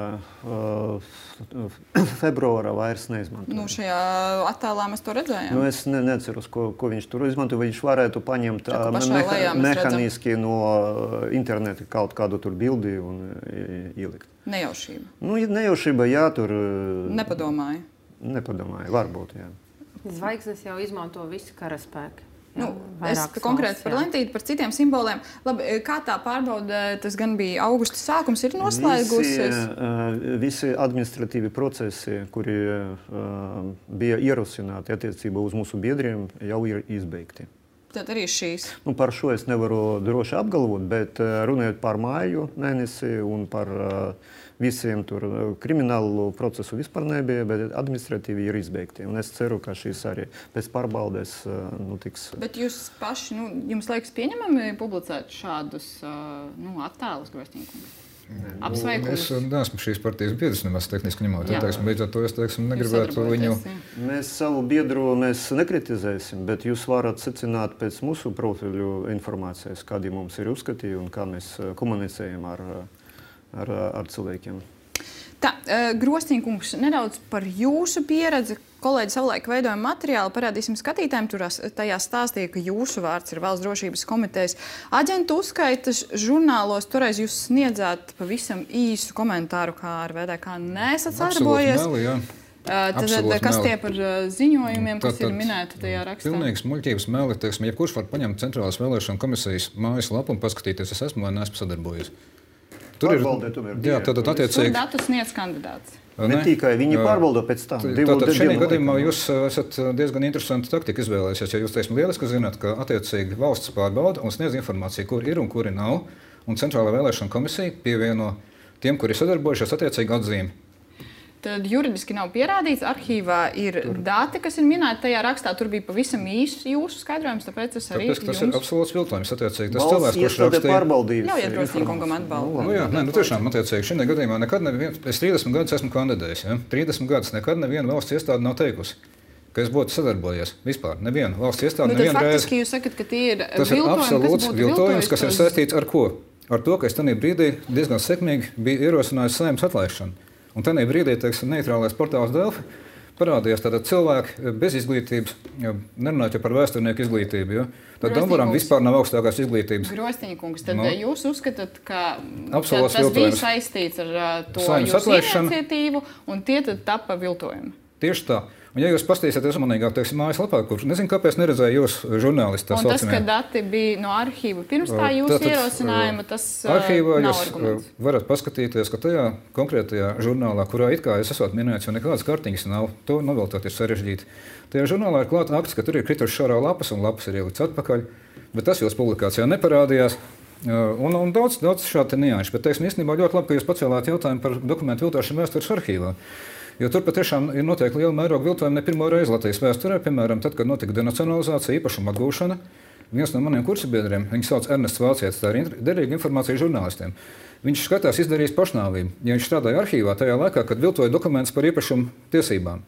Februāra vairs neizmantojam. Šajā attēlā mēs to redzējām. Es neceros, ko viņš tur izmanto. Viņš varētu paņemt mehāniski no interneta kaut kādu tur bildi un ielikt. Nejaušība. Nejaušība, jā, tur... Nepadomāja. Nepadomāja, varbūt, jā. Zvaigznes jau izmanto visi karaspēki. Es konkrēti par Lentīti, par citiem simboliem. Labi, kā tā pārbauda, tas gan bija augusta sākums, ir noslēgusies? Visi administratīvi procesi, kuri bija ierosināti attiecībā uz mūsu biedriem, jau ir izbeigti. Tad arī šīs? Par šo es nevaru droši apgalvot, bet runājot par māju mēnesi un par visiem tur kriminālu procesu vispār nebija, bet administratīvi ir izbeigti. Un es ceru, ka šīs arī pēc pārbaudes tiks. Bet jūs paši, jums liekas pieņemami publicēt šādus attēlus, Grostņikungs? Apsveikumus? Es neesmu šīs partijas biedrs, nemaz tehniski ņemot. Līdz ar to es negribētu viņu... Mēs savu biedru nekritizēsim, bet jūs varat secināt pēc mūsu profiļu informācijas, kādi mums ir uzskati un kā mēs komunicējam ar ar cilvēkiem. Tā, Grostīņkungs, nedaudz par jūsu pieredzi. Kolēģi savulaik veidoja materiālu, parādīsim skatītājiem, tajā stāstīja, ka jūsu vārds ir Valsts drošības komitejas aģentu uzskaitas žurnālos. Toreiz jūs sniedzāt pavisam īsu komentāru, kā ar VDK neesat sadarbojies. Kas tie par ziņojumiem, kas ir minēti tajā rakstā? Pilnīgs muļķības meli, teiksim, jebkurš var paņemt Centrālās vēlēšana komisijas mājaslapu un paskatīties, es esmu vai neesmu sadarbojies. Tur Tur datus sniedz kandidāts. Ne tikai viņi pārbauda pēc tam. Tātad šajā gadījumā jūs esat diezgan interesantu taktiku izvēlējušies, ja jūs, teiksim, lieliski zināt, ka attiecīgi valsts pārbauda un sniedz informāciju, kur ir un kuri nav, un Centrālā vēlēšana komisija pievieno tiem, kuri sadarbojušies, attiecīgi atzīmi. Tad juridiski nav pierādīts. Arhīvā ir dati, kas ir minēti tajā rakstā. Tur bija pavisam īsts jūsu skaidrojums, tāpēc es arī tas ir absolūts viltojums. Attiecīgi, tas cilvēks, kurš rakstīja, ļaujiet Grostīņkungam atbalstu. Tiešām, attiecīgi, šajā gadījumā nekad neviens, es 30 gadus esmu kandidējis, 30 gadus nekad neviena valsts iestāde nav teikusi, ka es būtu sadarbojies. Vispār neviena valsts iestāde nevienu reizi. Faktiski jūs sakat, ka tie ir absolūts viltojums, kas ir saistīts ar ko? Ar to, ka es tajā brīdī diezgan sekmīgi biju ierosinājis Saeimas atlaišanu. Un tajā brīdī, teiksim, neitrālais portāls Delfi parādījās cilvēki bez izglītības, nerunājot par vēsturnieku izglītību. Jo? Tad Dambaram vispār nav augstākās izglītības. Grostīņkungs, tad jūs uzskatāt, ka tas bija saistīts ar to jūsu iniciatīvu, un tie tad tapa viltojumi? Tieši tā. Un, ja jūs paskatīsieties uzmanīgāk, teiksim, mājaslapā, kur nezinu, kāpēc neredzēju jūs žurnālisti. Un tas, ka dati bija no arhīva pirms tā jūsu ierosinājuma, tas arhīvā nav jūs arguments. Varat paskatīties, ka tajā konkrētajā žurnālā, kurā it kā es esot minēts, jo nekādas kartiņas nav, to noviltot ir sarežģīti. Tajā žurnālā ir klāta akts, ka tur ir krituši šārā lapas un lapas ir ielikts atpakaļ, bet tas jūsu publikācijā neparādījās. Un daudz šādi nianši, bet teiksim, īstenībā ļoti labi, ka jūs pacēlāt jautājumu par dokumentu viltošanu vēstures arhīvā. Jo tur patiešām ir noteikti liela mēroga viltojumi ne pirmo reizi Latvijas vēsturē. Piemēram, tad, kad notika denacionalizācija, īpašuma atgūšana, viens no maniem kursabiedriem, viņu sauc Ernests Vācietis, tā ir derīga informācija žurnālistiem. Viņš skatās izdarījis pašnāvību, ja viņš strādāja arhīvā tajā laikā, kad viltoja dokumentus par īpašumu tiesībām.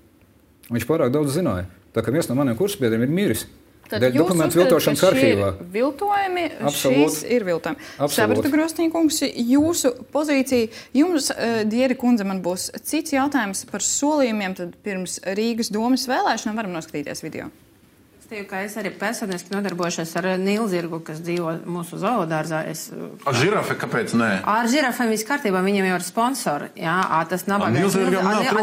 Viņš pārāk daudz zināja, tā ka viens no maniem kursabiedriem ir miris. Tad jūs uzskatāt, ka šie ir viltojumi, šīs ir viltojumi. Sapratu, Grostīņkungs, jūsu pozīcija. Jums, Dieri kundze, man būs cits jautājums par solījumiem, tad pirms Rīgas domas vēlēšanām varam noskatīties video. Es arī personiski nodarbojušies ar nilzirgu, kas dzīvo mūsu zoodārzā. Ar žirafi kāpēc nē? Ar žirafiem viss kārtībā, viņiem jau ir sponsori. Jā, tas nabagais.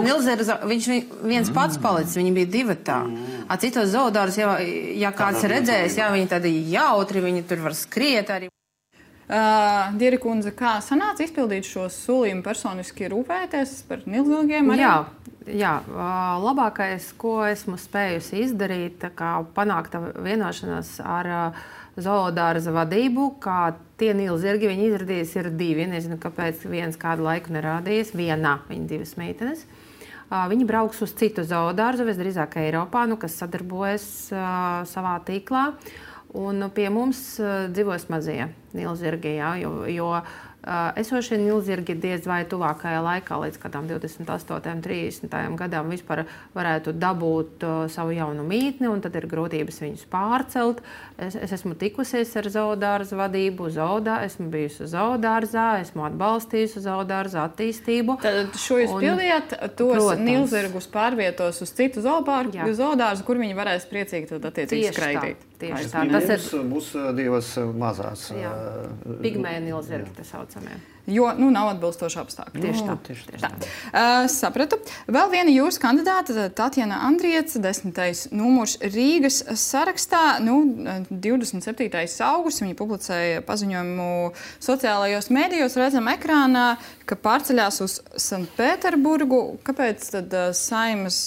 Nilzirga, viņš viens pats palicis, viņi bija divatā. Citos zoodārzos, ja kāds redzējis, viņi tādi jautri, viņi tur var skriet arī. Dieri kundze, kā sanāca izpildīt šo solījumu personiski rūpēties par nilzirgiem? Jā, labākais, ko esmu spējusi izdarīt, panākt vienošanās ar zoodārza vadību, kā tie nilzirgi, viņi izrādījās ir divi. Nezinu, kāpēc viens kādu laiku nerādījies. Vienā viņa divas meitenes. Viņi brauks uz citu zoodārzu, visdrīzāk Eiropā, kas sadarbojas savā tīklā. Un pie mums dzīvos mazie nilzirgi, jo esošie nilzirgi diez vai tuvākajā laikā līdz kādām 28, 30 gadām vispār varētu dabūt savu jaunu mītni, un tad ir grūtības viņus pārcelt. Es esmu tikusies ar zoodārza vadību, esmu bijusi zoodārzā, esmu atbalstījusi zoodārza attīstību. Tad šo jūs pildījāt, tos nilzirgus pārvietos uz citu zoodārzu, kur viņi varēs priecīgi tad attiecīgi skraidīt. Tieši tā. Tas būs divas mazās. Pigmēja nilzirgi, tas saucamie. Jo nav atbilstoši apstākļi. Tieši tā. Sapratu. Vēl viena jūsu kandidāta, Tatjana Andrieca, 10. numurs Rīgas sarakstā. 27. augusts viņa publicēja paziņojumu sociālajos mēdījos, redzam ekrānā, ka pārceļās uz Sanktpēterburgu. Kāpēc tad Saeimas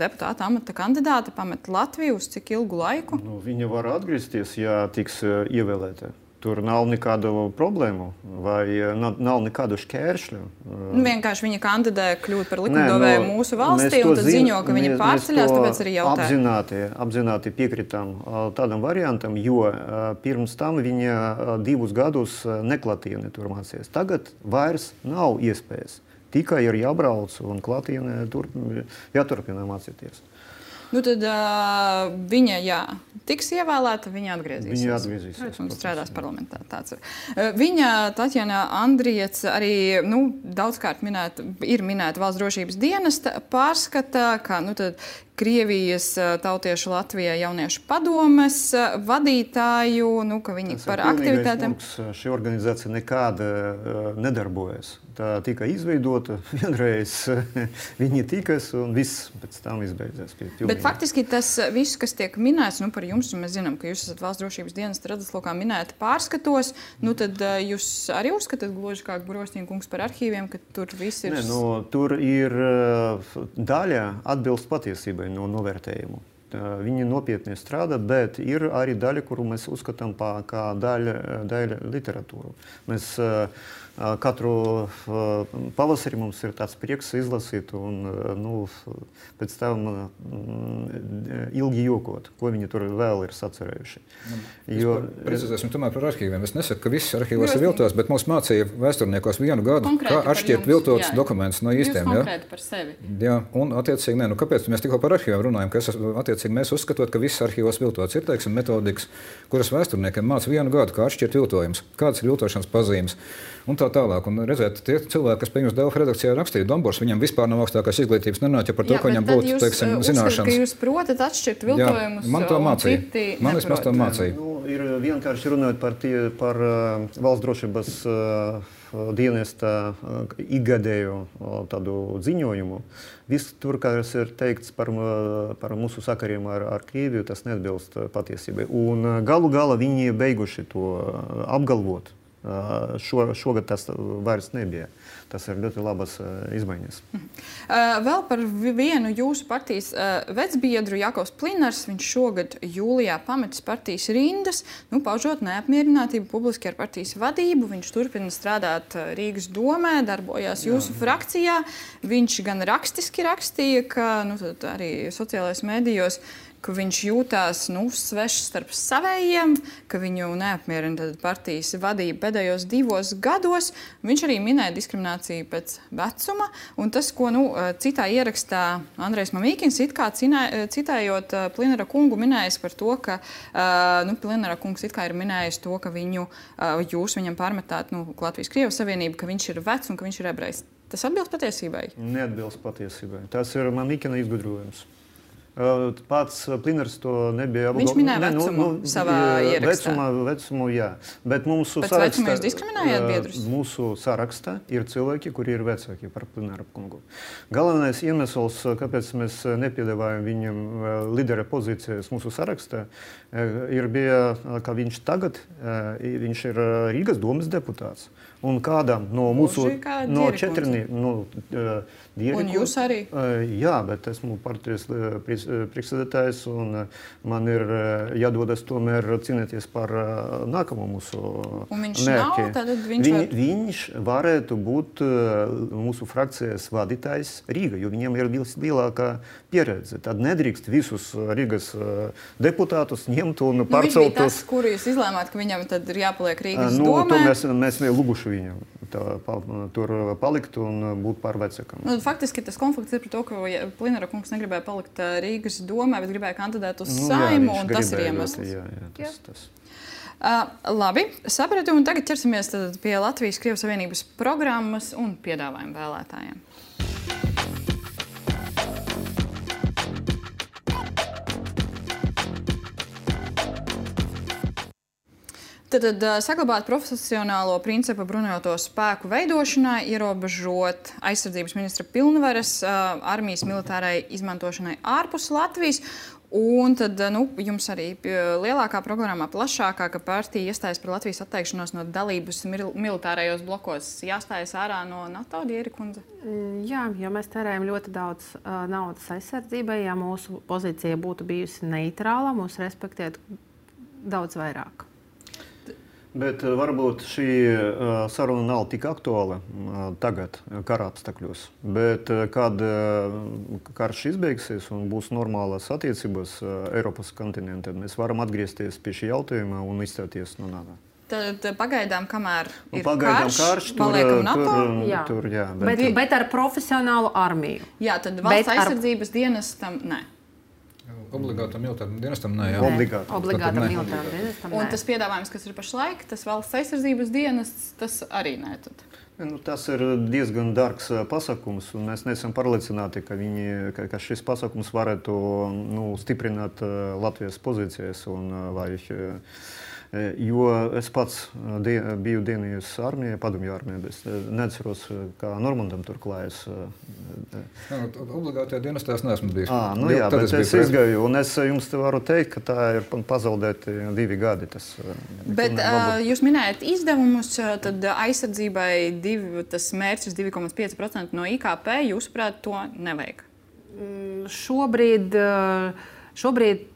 deputāta amata kandidāte pamet Latviju uz cik ilgu laiku? Viņa var atgriezties, ja tiks ievēlēta. Tur nav nekādu problēmu vai nav nekādu šķēršļu. Vienkārši viņa kandidē kļūt par likumdevēju mūsu valstī un tad ziņo, ka viņa pārceļās, tāpēc arī jautāja. Apzināti piekritām tādam variantam, jo pirms tam viņa 2 gadus neklātienē tur mācījās. Tagad vairs nav iespējas. Tikai ir jābrauc un klātienē jāturpina mācīties. tad viņa, tiks ievēlēta, viņa atgriezīsies. Viņa atgriezīsies. Un strādās parlamentā. Tāds ir. Viņa, Tatjana Andriets, arī daudzkārt ir minēta Valsts drošības dienesta pārskata, kā tad Krievijas tautiešu Latvijā jauniešu padomes vadītāju, ka viņi par aktivitātēm. Šī organizācija nekāda nedarbojas. Tā tika izveidota, vienreiz viņi tikas un viss pēc tam izbeidzās. Bet faktiski tas viss, kas tiek minēts par jums, un mēs zinām, ka jūs esat Valsts drošības dienesta redzeslokā minēti pārskatos, tad jūs arī uzskatāt gluži kā Grostīna kungs par arhīviem, ka tur viss ir... Tur ir daļa atbilst patiesībai no novērtējumu. Viņi nopietni strādā, bet ir arī daļa, kuru mēs uzskatām kā daļa literatūru. Mēs katru pavasari mums ir tāds prieks izlasīt un pēc tam ilgi jokot, ko viņi tur vēl ir sacerējuši. Precizēsim tomēr par arhīviem. Es nesaku, ka viss arhīvos ir viltots, bet mums mācīja vēsturniekos vienu gadu, kā atšķirt viltotus dokumentus no īstiem. Jūs konkrēti par sevi. Jā, un attiecīgi, kāpēc mēs tikko par arhīviem runājam, ka attiecīgi mēs uzskatot, ka viss arhīvos viltots ir, teiksim, metodikas, kuras vēsturniekiem māca vienu gadu, kā atšķirt viltojums, kādas ir viltošanas pazīmes. Un tā tālāk. Un redzēt, tie cilvēki, kas pie jums Delfa redakcijā rakstīja Dombors, viņam vispār nav augstākās izglītības, nenāķa par to, ka viņam būtu, teiksim, zināšanas. Ka jūs protat atšķirt viltojumus. Man to mācīja. Man vismaz to mācīja. Ir vienkārši runājot par Valsts drošības dienesta ikgadēju tādu ziņojumu. Viss tur, kas ir teikts par mūsu sakariem ar Krieviju, tas neatbilst patiesībai. Un galu galā viņi beiguši to apgalvot. Šogad tas vairs nebija. Tas ir ļoti labas izmaiņas. Vēl par vienu jūsu partijas vecbiedru Jakovs Plinars. Viņš šogad jūlijā pametis partijas rindas, paužot neapmierinātību publiski ar partijas vadību. Viņš turpina strādāt Rīgas domē, darbojās jūsu frakcijā. Viņš gan rakstiski rakstīja, ka arī sociālajos medijos, ka viņš jūtās svešs starp savējiem, ka viņu neapmierina partijas vadība pēdējos 2 gados. Viņš arī minēja diskrimināciju pēc vecuma, un tas, ko citā ierakstā Andrejs Mamīkins, it kā citējot Plinara kungu, minējis par to, ka Plinara kungs it kā ir minējis to, ka jūs viņam pārmetāt Latvijas-Krievijas Savienību, ka viņš ir vecs un ka viņš ir ebrejs. Tas atbilst patiesībai? Neatbilst patiesībai. Tas ir Mamīkina izgudrojums. Pats Plinars to nebija apgalvojis. Viņš minēja vecumu savā ierakstā. Vecumu, jā. Bet mūsu sarakstā... Pēc vecuma jūs diskriminējāt biedrus? Mūsu sarakstā ir cilvēki, kuri ir vecāki par Plinaru kungu. Galvenais iemesls, kāpēc mēs nepiedāvājam viņam lidera pozīcijas mūsu sarakstā, bija, ka viņš tagad viņš ir Rīgas domas deputāts. Un kādam no mūsu no 4 Un jūs arī? Jā, bet esmu partijas priekšsēdētājs un man ir jādodas tomēr cīnīties par nākamo mūsu mērķi. Un viņš nav, tad viņš varētu būt mūsu frakcijas vadītājs Rīga, jo viņam ir lielākā pieredze. Tad nedrīkst visus Rīgas deputātus ņemt un pārcelt. Viņš bija tas, kuru jūs izlēmāt, ka viņam tad ir jāpaliek Rīgas domē? Mēs lūguši viņam tur palikt un būt par vecākam. Faktiski tas konflikts ir par to, ka Plinara kungs negribēja palikt Rīgas domē, bet gribēja kandidēt uz Saimu, un tas ir iemesls. Jā. Labi, sapratu, un tagad ķersimies pie Latvijas-Krievijas Savienības programmas un piedāvājumu vēlētājiem. Tad saglabāt profesionālo principu bruņoto spēku veidošanai, ierobežot aizsardzības ministra pilnvaras armijas militārai izmantošanai ārpus Latvijas. Un tad jums arī lielākā programmā, plašākā, ka partija iestājas par Latvijas atteikšanos no dalības militārajos blokos. Jāstājas ārā no NATO, Dieri kundze? Jā, jo mēs tērējam ļoti daudz naudas aizsardzībai. Ja mūsu pozīcija būtu bijusi neitrāla, mūs respektētu daudz vairāk. Bet varbūt šī saruna nav tik aktuāla tagad, kara apstākļos. Bet kad karš izbeigsies un būs normālas attiecības Eiropas kontinentā, mēs varam atgriezties pie šī jautājuma un izstāties no NATO. Tad pagaidām, kamēr ir karš, paliekam NATO? Tur, jā. Bet ar profesionālu armiju? Jā, tad valsts aizsardzības dienestam, nē. Obligātam militāram dienestam nē. Obligātam militāram dienestam nē. Un tas piedāvājums, kas ir pašlaik, tas valsts aizsardzības dienests, tas arī nē. Tad. Tas ir diezgan dārgs pasākums, un mēs neesam pārliecināti, ka šis pasākums varētu stiprināt Latvijas pozīcijas. Jo es pats biju dienījis armijā, padomju armijā, bet neatceros, kā Normandam tur klājas. Obligātajā dienestā es neesmu bijis. Bet es izgāju, un es jums varu teikt, ka tā ir pazaudēti 2 gadi. Bet jūs minējat izdevumus, tad aizsardzībai tas mērķis 2,5% no IKP, jūsuprāt, to nevajag? Šobrīd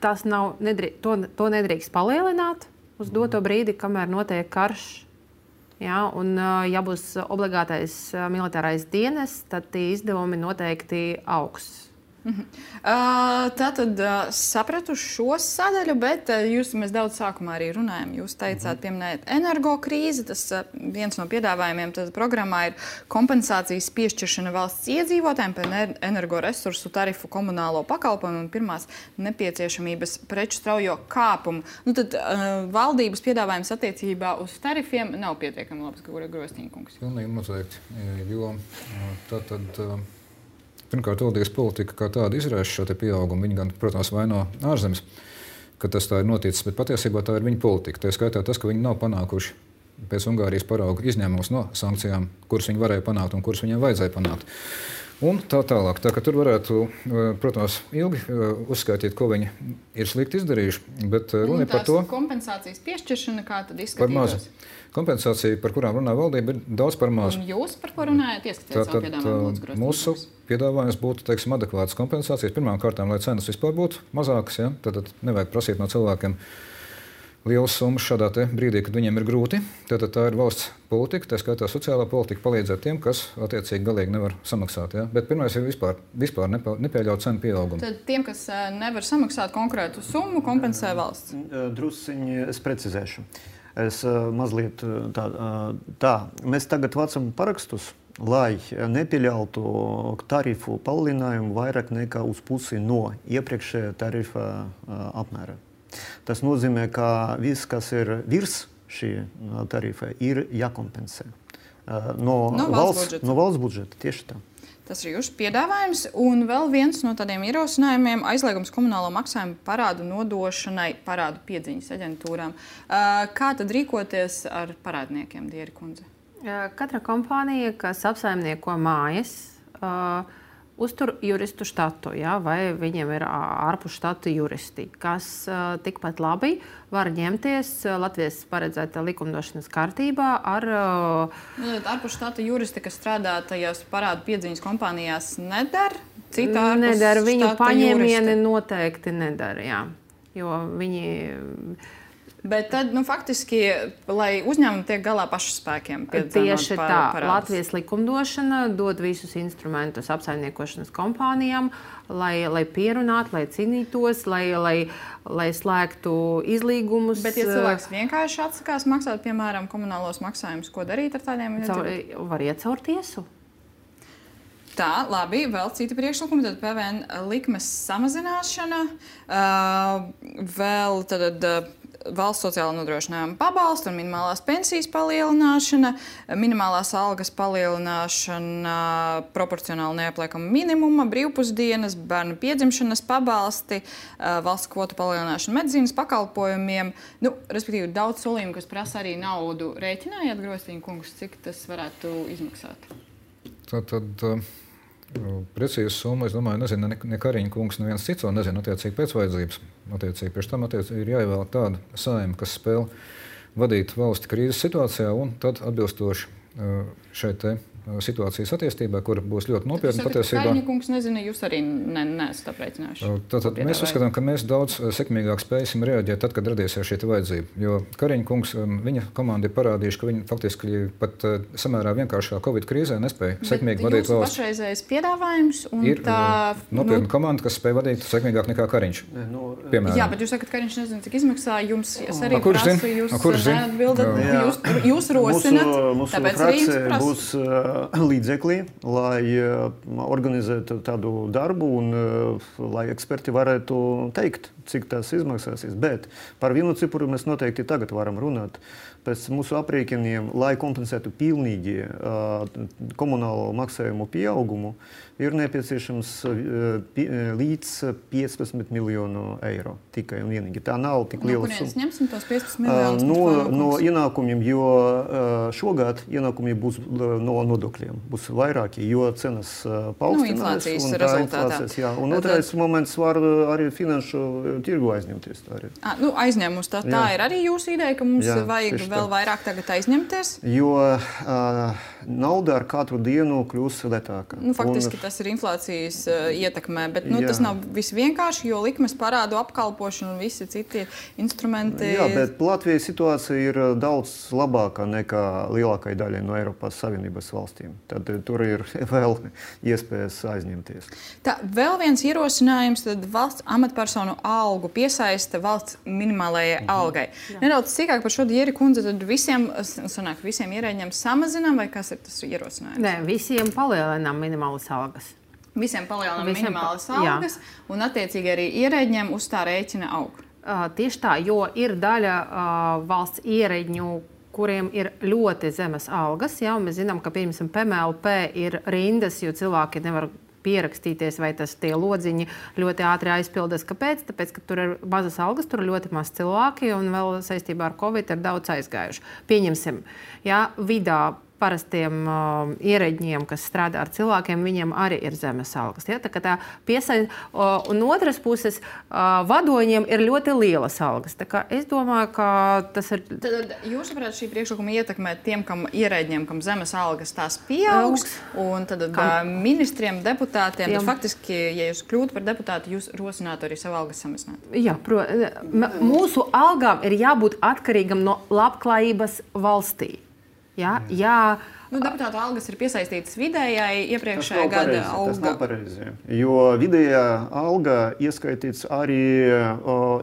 tas nav, to nedrīkst palielināt uz doto brīdi, kamēr notiek karš. Ja, un, ja būs obligātais militārais dienests, tad tie izdevumi noteikti augs. Tātad sapratu šo sadaļu, bet mēs daudz sākumā arī runājam. Jūs teicāt, pieminējat energokrīzi. Tas viens no piedāvājumiem programmā ir kompensācijas piešķiršana valsts iedzīvotājiem par energoresursu tarifu komunālo pakalpojumu un pirmās nepieciešamības preču straujo kāpumu. Tad valdības piedāvājums attiecībā uz tarifiem nav pietiekami labs, Grostīņkungs. Pilnīgi noteikti, jo tātad... Pirmkārt, valdības politika kā tāda izraisa šo pieaugumu. Viņi gan, protams, vaino ārzemes, ka tas tā ir noticis, bet patiesībā tā ir viņa politika. Tā skaitā tas, ka viņi nav panākuši pēc Ungārijas parauga izņēmumus no sankcijām, kuras viņi varēja panākt un kuras viņiem vajadzēja panākt. Un tā tālāk. Tā, ka tur varētu, protams, ilgi uzskaitīt, ko viņi ir slikti izdarījuši, bet runa ir par to... Kompensācijas piešķiršana, kā tad izskatītos? Par mazu. Kompensācija, par kurām runā valdība, ir daudz par mazu. Un jūs par ko runājat? Ieskatiet savu piedāvājumu. Mūsu piedāvājums būtu, teiksim, adekvātas kompensācijas. Pirmām kārtām, lai cenas vispār būtu mazākas, ja? Tad nevajag prasīt no cilvēkiem lielas summas šādā brīdī, kad viņiem ir grūti. Tātad tā ir valsts politika, tā skaitā sociālā politika, palīdzēt tiem, kas attiecīgi galīgi nevar samaksāt. Ja? Bet pirmais ir vispār nepieļaut cenu pieaugumu. Tad tiem, kas nevar samaksāt konkrētu summu, kompensē valsts? Drusciņi es precizēšu. Es mazliet tā. Mēs tagad vācam parakstus, lai nepieļautu tarifu palielinājumu vairāk nekā uz pusi no iepriekšējā tarifa apmēra. Tas nozīmē, ka viss, kas ir virs šī tarifa, ir jākompensē no valsts budžeta. Tieši tā. Tas ir jūsu piedāvājums. Un vēl viens no tādiem ierosinājumiem - aizliegums komunālo maksājumu parādu nodošanai parādu piedziņas aģentūrām. Kā tad rīkoties ar parādniekiem, Dieri kundze? Katra kompānija, kas apsaimnieko mājas, uztur juristu štatu, ja, vai viņiem ir ārpus štata juristi, kas tikpat labi var ņemties Latvijas paredzētā likumdošanas kārtībā ar... Ārpus štata juristi, kas strādā tajās parādu piedziņas kompānijās, nedara? Nedara. Viņu paņēmieni noteikti nedara, jā. Jo viņi... Bet tad, faktiski, lai uzņēmumi tiek galā pašu spēkiem. Tieši tā. Latvijas likumdošana dod visus instrumentus apsaimniekošanas kompānijām, lai pierunātu, lai cīnītos, lai slēgtu izlīgumus. Bet, ja cilvēks vienkārši atsakās maksāt, piemēram, komunālos maksājumus, ko darīt ar tādiem? Var iet caur tiesu. Tā, labi, vēl citi priekšlikumi, tad PVN likmes samazināšana, vēl tad valsts sociālā nodrošinājuma pabalstu un minimālās pensijas palielināšana, minimālās algas palielināšana, proporcionāli neapliekama minimuma, brīvpusdienas, bērnu piedzimšanas pabalsti, valsts kvotu palielināšana medicīnas pakalpojumiem. Respektīvi, daudz solījumu, kas prasa arī naudu. Rēķinājāt, Grostīņkungs, cik tas varētu izmaksāt? Tad precīzi summa, es domāju, nezinu ne Kariņa kungs, neviens cits, un nezinu attiecīgi pēc vajadzības. Attiecīgi pēc tam ir jāievēl tāda saima, kas spēl vadīt valsti krīzes situācijā un tad atbilstoši šeit situācijas attīstībai, kur būs ļoti nopietna patiesībā. Kariņa kungs nezina, jūs arī neesat aprēķinājuši. Tātad mēs uzskatām, ka mēs daudz sekmīgāk spēsim reaģēt tad, kad radīsies šī vajadzība. Jo Kariņa kungs, viņa komanda ir parādījuši, ka viņi faktiski pat samērā vienkāršā Covid krīzē nespēja sekmīgi vadīt valsts. Pašreizējais piedāvājums un ir nopietna komanda, kas spēja vadīt sekmīgāk nekā Kariņš. Jā, bet jūs sakat, ka Kariņš nezina, cik izmaksā jums. Es arī prasu, jūs neatbildat, jūs rosinat, tāpēc arī jums prasu. līdzekļi, lai organizētu tādu darbu un lai eksperti varētu teikt, cik tas izmaksāsies. Bet par vienu cipru mēs noteikti tagad varam runāt. Pēc mūsu aprēķiniem, lai kompensētu pilnīgi komunālo maksājumu pieaugumu, ir nepieciešams līdz 15 miljonu eiro tikai un vienīgi. Tā nav tik liela summa. No kurienes ņemsim tos 15 miljonus? No ienākumiem, jo šogad ienākumi būs no nodokļiem. Būs vairāki, jo cenas paaugstinās. Inflācijas rezultātā. Jā. Un otrais moments var arī finanšu tirgu aizņemties. Aizņēmums tā ir arī jūsu ideja, ka mums vajag vēl vairāk tagad aizņemties? Jo nauda ar katru dienu kļūs lētāka. Faktiski tas ir inflācijas ietekmē, bet tas nav viss vienkārši, jo likmes parādu apkalpošana un visi citi instrumenti. Jā, bet Latvijas situācija ir daudz labāka nekā lielākai daļai no Eiropas Savienības valstīm. Tad tur ir vēl iespējas aizņemties. Tā, vēl viens ierosinājums, tad valsts amatpersonu algu piesaista valsts minimālajai algai. Nedaudz sīkāk par šo Dieri kundze, tad visiem ierēģiem samazinām, vai kas ir tas ierosinājums? Nē, visiem palielinām minimālas algas. Visiem palielinām minimālas algas, un attiecīgi arī ierēģiem uz tā rēķina aug. Tieši tā, jo ir daļa valsts ierēģņu, kuriem ir ļoti zemes algas. Jā, mēs zinām, ka piemēram PMLP ir rindas, jo cilvēki nevar pierakstīties, vai tie lodziņi ļoti ātri aizpildas. Kāpēc? Tāpēc, ka tur ir mazas algas, tur ir ļoti maz cilvēki, un vēl saistībā ar Covid ir daudz aizgājuši. Pieņemsim, vidā parastiem ierēģiem, kas strādā ar cilvēkiem, viņiem arī ir zemes algas. Ja? Tā un otras puses, vadoņiem ir ļoti lielas algas. Tā kā es domāju, ka tas ir... Tad jūs saprāt, šī priekšlikuma ietekmē tiem, kam ierēģiem, kam zemes algas tās pieaugs, un tad ministriem, deputātiem, tad faktiski, ja jūs kļūtu par deputātu, jūs rosinātu arī savu algas samazināt. Jā, mūsu algām ir jābūt atkarīgam no labklājības valstī. Jā. Deputāta algas ir piesaistītas vidējai iepriekšējā gada alga. Tas nav pareizi, jo vidējā alga ieskaitīts arī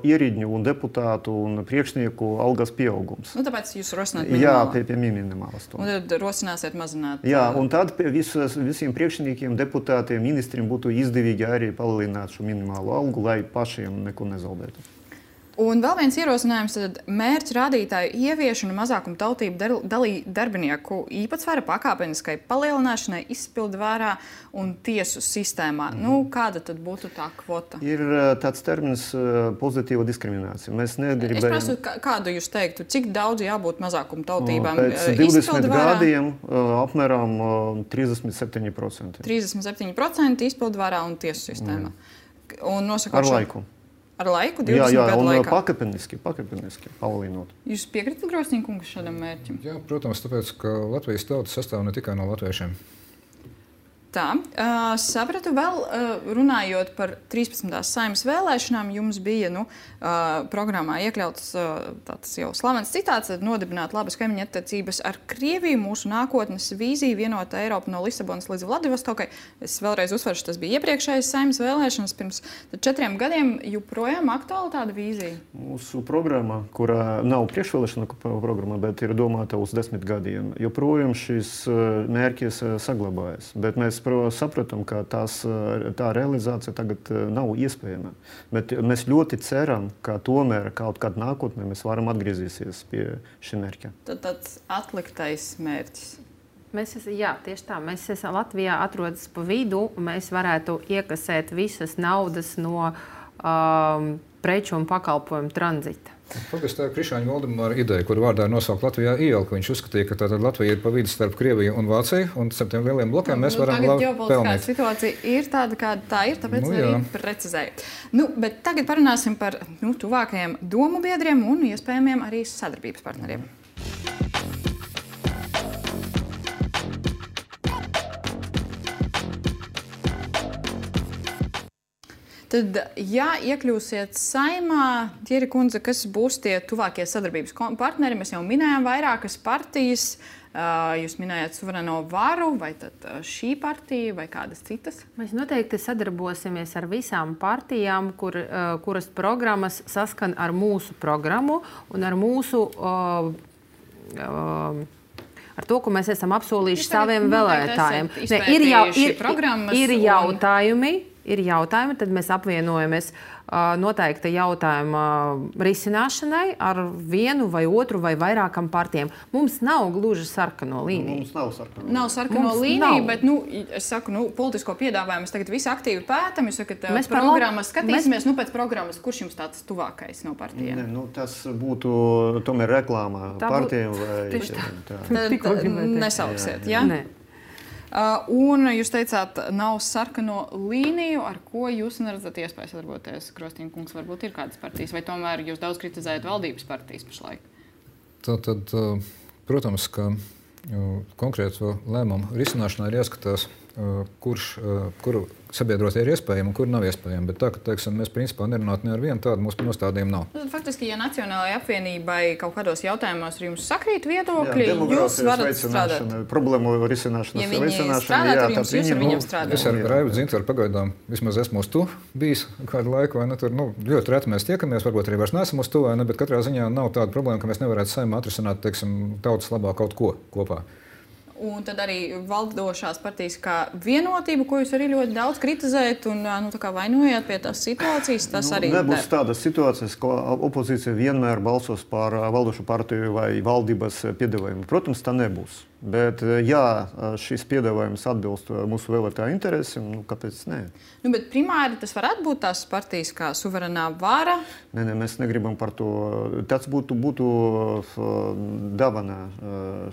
ierēģņu un deputātu un priekšnieku algas pieaugums. Tāpēc jūs rosināt minimālu? Jā, pie minimālas. Un tad rosināsiet mazināt? Jā, un tad visiem priekšniekiem, deputātiem, ministriem būtu izdevīgi arī palielināt šo minimālo algu, lai pašiem neko nezaudētu. Un vēl viens ierosinājums tad mērķu rādītāju ieviešanu mazākumu tautību darbinieku īpatsvara pakāpeniskai palielināšanai izpildvārā un tiesu sistēmā. Kāda tad būtu tā kvota? Ir tāds termins pozitīva diskriminācija. Mēs negribējam... Es prasu, kādu jūs teiktu, cik daudz jābūt mazākumu tautībām pēc 20 gadiem apmēram 37%. 37% izpildvārā un tiesu sistēmā. Un ar laiku. Ar laiku, 20 gadu laikā? Jā, pakāpeniski palielinot. Jūs piekritat, Grosniņkungs, šādam mērķim? Jā, protams, tāpēc, ka Latvijas tauta sastāv ne tikai no latviešiem. Tā, sapratu vēl, runājot par 13. Saeimas vēlēšanām, jums bija programmā iekļauts tāds jau slavens citāts, nodibināt labas kaimiņu attiecības ar Krieviju, mūsu nākotnes vīzija, vienota Eiropa no Lisabonas līdz Vladivostokai. Es vēlreiz uzsveršu, tas bija iepriekšējais Saeimas vēlēšanas pirms 4 gadiem, joprojām aktuāla tāda vīzija? Mūsu programma, kurā nav priekšvēlēšana programma, bet ir domāta uz 10 gadiem, joprojām šis mērķis saglabājas. Bet mēs saprotam, ka tā realizācija tagad nav iespējama. Bet mēs ļoti ceram, ka tomēr kaut kādā nākotnē mēs varam atgriezīties pie šī mērķa. Tad tāds atliktais mērķis. Tieši tā. Mēs Latvijā atrodas pa vidu, un mēs varētu iekasēt visas naudas no preču un pakalpojumu tranzita. Faktiski tā ir Krišāņa Valdemāra ideja, kur vārdā nosaukt Latvijā ielu, ka viņš uzskatīja, ka tātad Latvija ir pa vidu starp Krieviju un Vāciju, un starp tiem lieliem blokiem mēs varam labi pelnīt. Ģeopolitiskā situācija ir tāda, kāda tā ir, tāpēc arī precizēju. Bet tagad parunāsim par tuvākajiem domu biedriem un iespējamiem arī sadarbības partneriem. Tad, ja iekļūsiet Saeimā, Dieri kundze, kas būs tie tuvākie sadarbības partneri? Mēs jau minējām vairākas partijas. Jūs minējāt suverēno varu, vai tad šī partija, vai kādas citas? Mēs noteikti sadarbosimies ar visām partijām, kuras programmas saskan ar mūsu programmu un ar mūsu ar to, ko mēs esam apsolījuši saviem vēlētājiem. Ir jautājumi, tad mēs apvienojamies noteikta jautājuma risināšanai ar vienu vai otru vai vairākam partijām. Mums nav gluži sarkano līniju. Mums nav sarkano. Nav sarkano līniju, bet, es saku, politisko piedāvājumu mēs tagad visi aktīvi pētam. Jūs sakat, mēs programmas skatīsimies, pēc programmas, kurš jums tāds tuvākais no partijām? Tas būtu tomēr reklāmā partijām vai... Nesauksiet, jā? Nē. Un jūs teicāt, nav sarkano līniju, ar ko jūs neredzat iespēju sadarboties. Krostīna kungs, varbūt ir kādas partijas, vai tomēr jūs daudz kritizējat valdības partijas pašlaik? Tad, protams, ka konkrēto lēmumu risināšanā ir jāskatās, kuru sabiedrotie ir iespējami un kuri nav iespējami. Bet tā, ka, teiksim, mēs principā nerunātu ne ar vienu tādu, mūsu nostādījumu nav. Faktiski, ja Nacionālajai apvienībai kaut kādos jautājumos ar jums sakrīt viedokļi, jūs varat strādāt. Problēmu risināšanas veicināšana. Ja viņi strādāt ar jums, jūs ar viņiem strādāt. Es ar Raivu Dzintaru pagaidām, vismaz esmu uz to bijis kādu laiku, vai ne, tur, ļoti reti mēs tiekamies, varbūt arī vairs neesam uz to, vai ne, bet katrā ziņā nav tāda problēma, ka mēs nevarētu Saeimā atrisināt, teiksim, tautas labā kaut ko kopā. Un tad arī valdošās partijas kā vienotību, ko jūs arī ļoti daudz kritizējat un vainojat pie tās situācijas, tas arī nebūs tādas situācijas, ka opozīcija vienmēr balsos par valdošo partiju vai valdības piedāvājumu. Protams, tā nebūs. Bet, ja šis piedāvājums atbilst mūsu vēlētāju interesēm, kāpēc nē? Bet primāri tas varētu būt tās partijas kā suverenā vara? Nē, mēs negribam par to. Tas būtu dāvana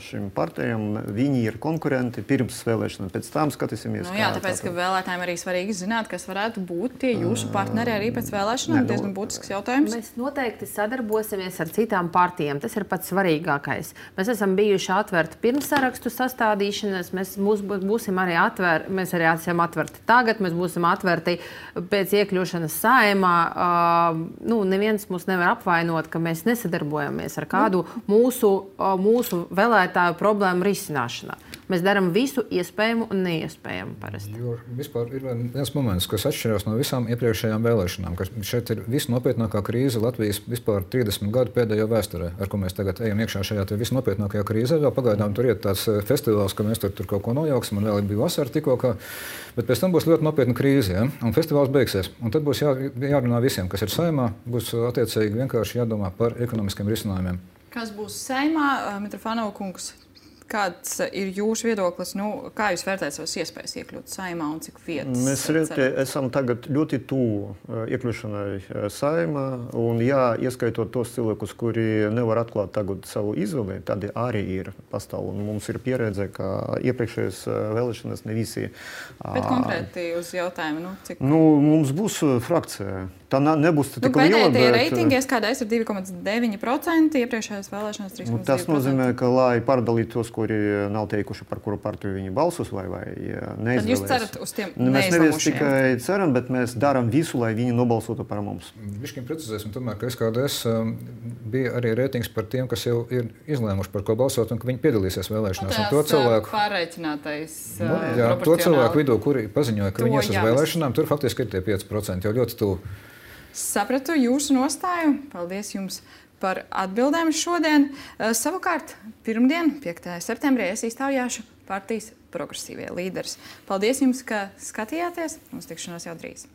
šīm partijām. Viņi ir konkurenti pirms vēlēšanām, pēc tam skatīsimies. Tāpēc, ka vēlētājiem arī svarīgi zināt, kas varētu būt tie jūsu partneri arī pēc vēlēšanām. Diezgan būtisks jautājums. Mēs noteikti sadarbosimies ar citām partijām. Tas ir pats svarīgākais. Mēs esam bijuši atverti pirms sarakstu sastādīšanas, mēs būsim arī atverti, mēs arī esam atverti tagad, mēs būsim atverti pēc iekļūšanas Saeimā. Neviens mūs nevar apvainot, ka mēs nesadarbojamies ar kādu mūsu vēlētāju problēmu risināšanā. Mēs darām visu iespējamu un neiespējamu parasti. Jo vispār ir viens moments, kas atšķirās no visām iepriekšējām vēlēšanām, ka šeit ir visnopietnākā krīze Latvijas vispār 30 gadu pēdējo vēsturē, ar ko mēs tagad ejam iekšā šajā visnopietnākajā krīzē. Vēl pagaidām tur ir tāds festivāls, ka mēs tur kaut ko nojauksim, un vēl bija vasara tikko, bet pēc tam būs ļoti nopietna krīze, ja? Un festivāls beigsies. Un tad būs jārunā visiem, kas ir Saeimā, būs attiecīgi vienkārši jādomā par ekonomiskiem risinājumiem. Kas būs Saeimā, Mitrofanova kungs? Kāds ir jūsu viedoklis? Kā jūs vērtējat savas iespējas iekļūt Saeimā un cik vietas? Mēs esam tagad ļoti tuvu iekļūšanai Saeimā. Un, ieskaitot tos cilvēkus, kuri nevar atklāt tagad savu izvēli, tad arī ir pastāv. Un mums ir pieredze, ka iepriekšējās vēlēšanas ne visi. Bet konkrēti uz jautājumu, cik? Mums būs frakcija. Tā nebūs tik liela. Pēdējie reitingi ieskādājas ir 2,9%, iepriekšējās vēlēšanas 3,2%. Tas nozīmē, ka, lai pārdalītu tos, kuri nav teikuši, par kuru partiju viņi balsos vai neizvēlēs. Tad jūs cerat uz tiem neizlamušiem? Mēs nevis tikai ceram, bet mēs darām visu, lai viņi nobalsotu par mums. Višķiņ precizēsim tomēr, ka SKDS bija arī reitings par tiem, kas jau ir izlēmuši, par ko balsot un ka viņi piedalīsies vēlēšanās. Un to cilvēku pārreicinātais to cilvēku vidū, kuri paziņoja, ka viņi ies uz vēlēšanām, tur faktiski ir tie 5%, jau ļoti tuvu. Sapratu jūsu nostāju. Paldies jums par atbildēm šodien. Savukārt, pirmdien, 5. septembrī, es iztaujāšu partijas progresīvie līderis. Paldies jums, ka skatījāties. Mums tikšanās jau drīz.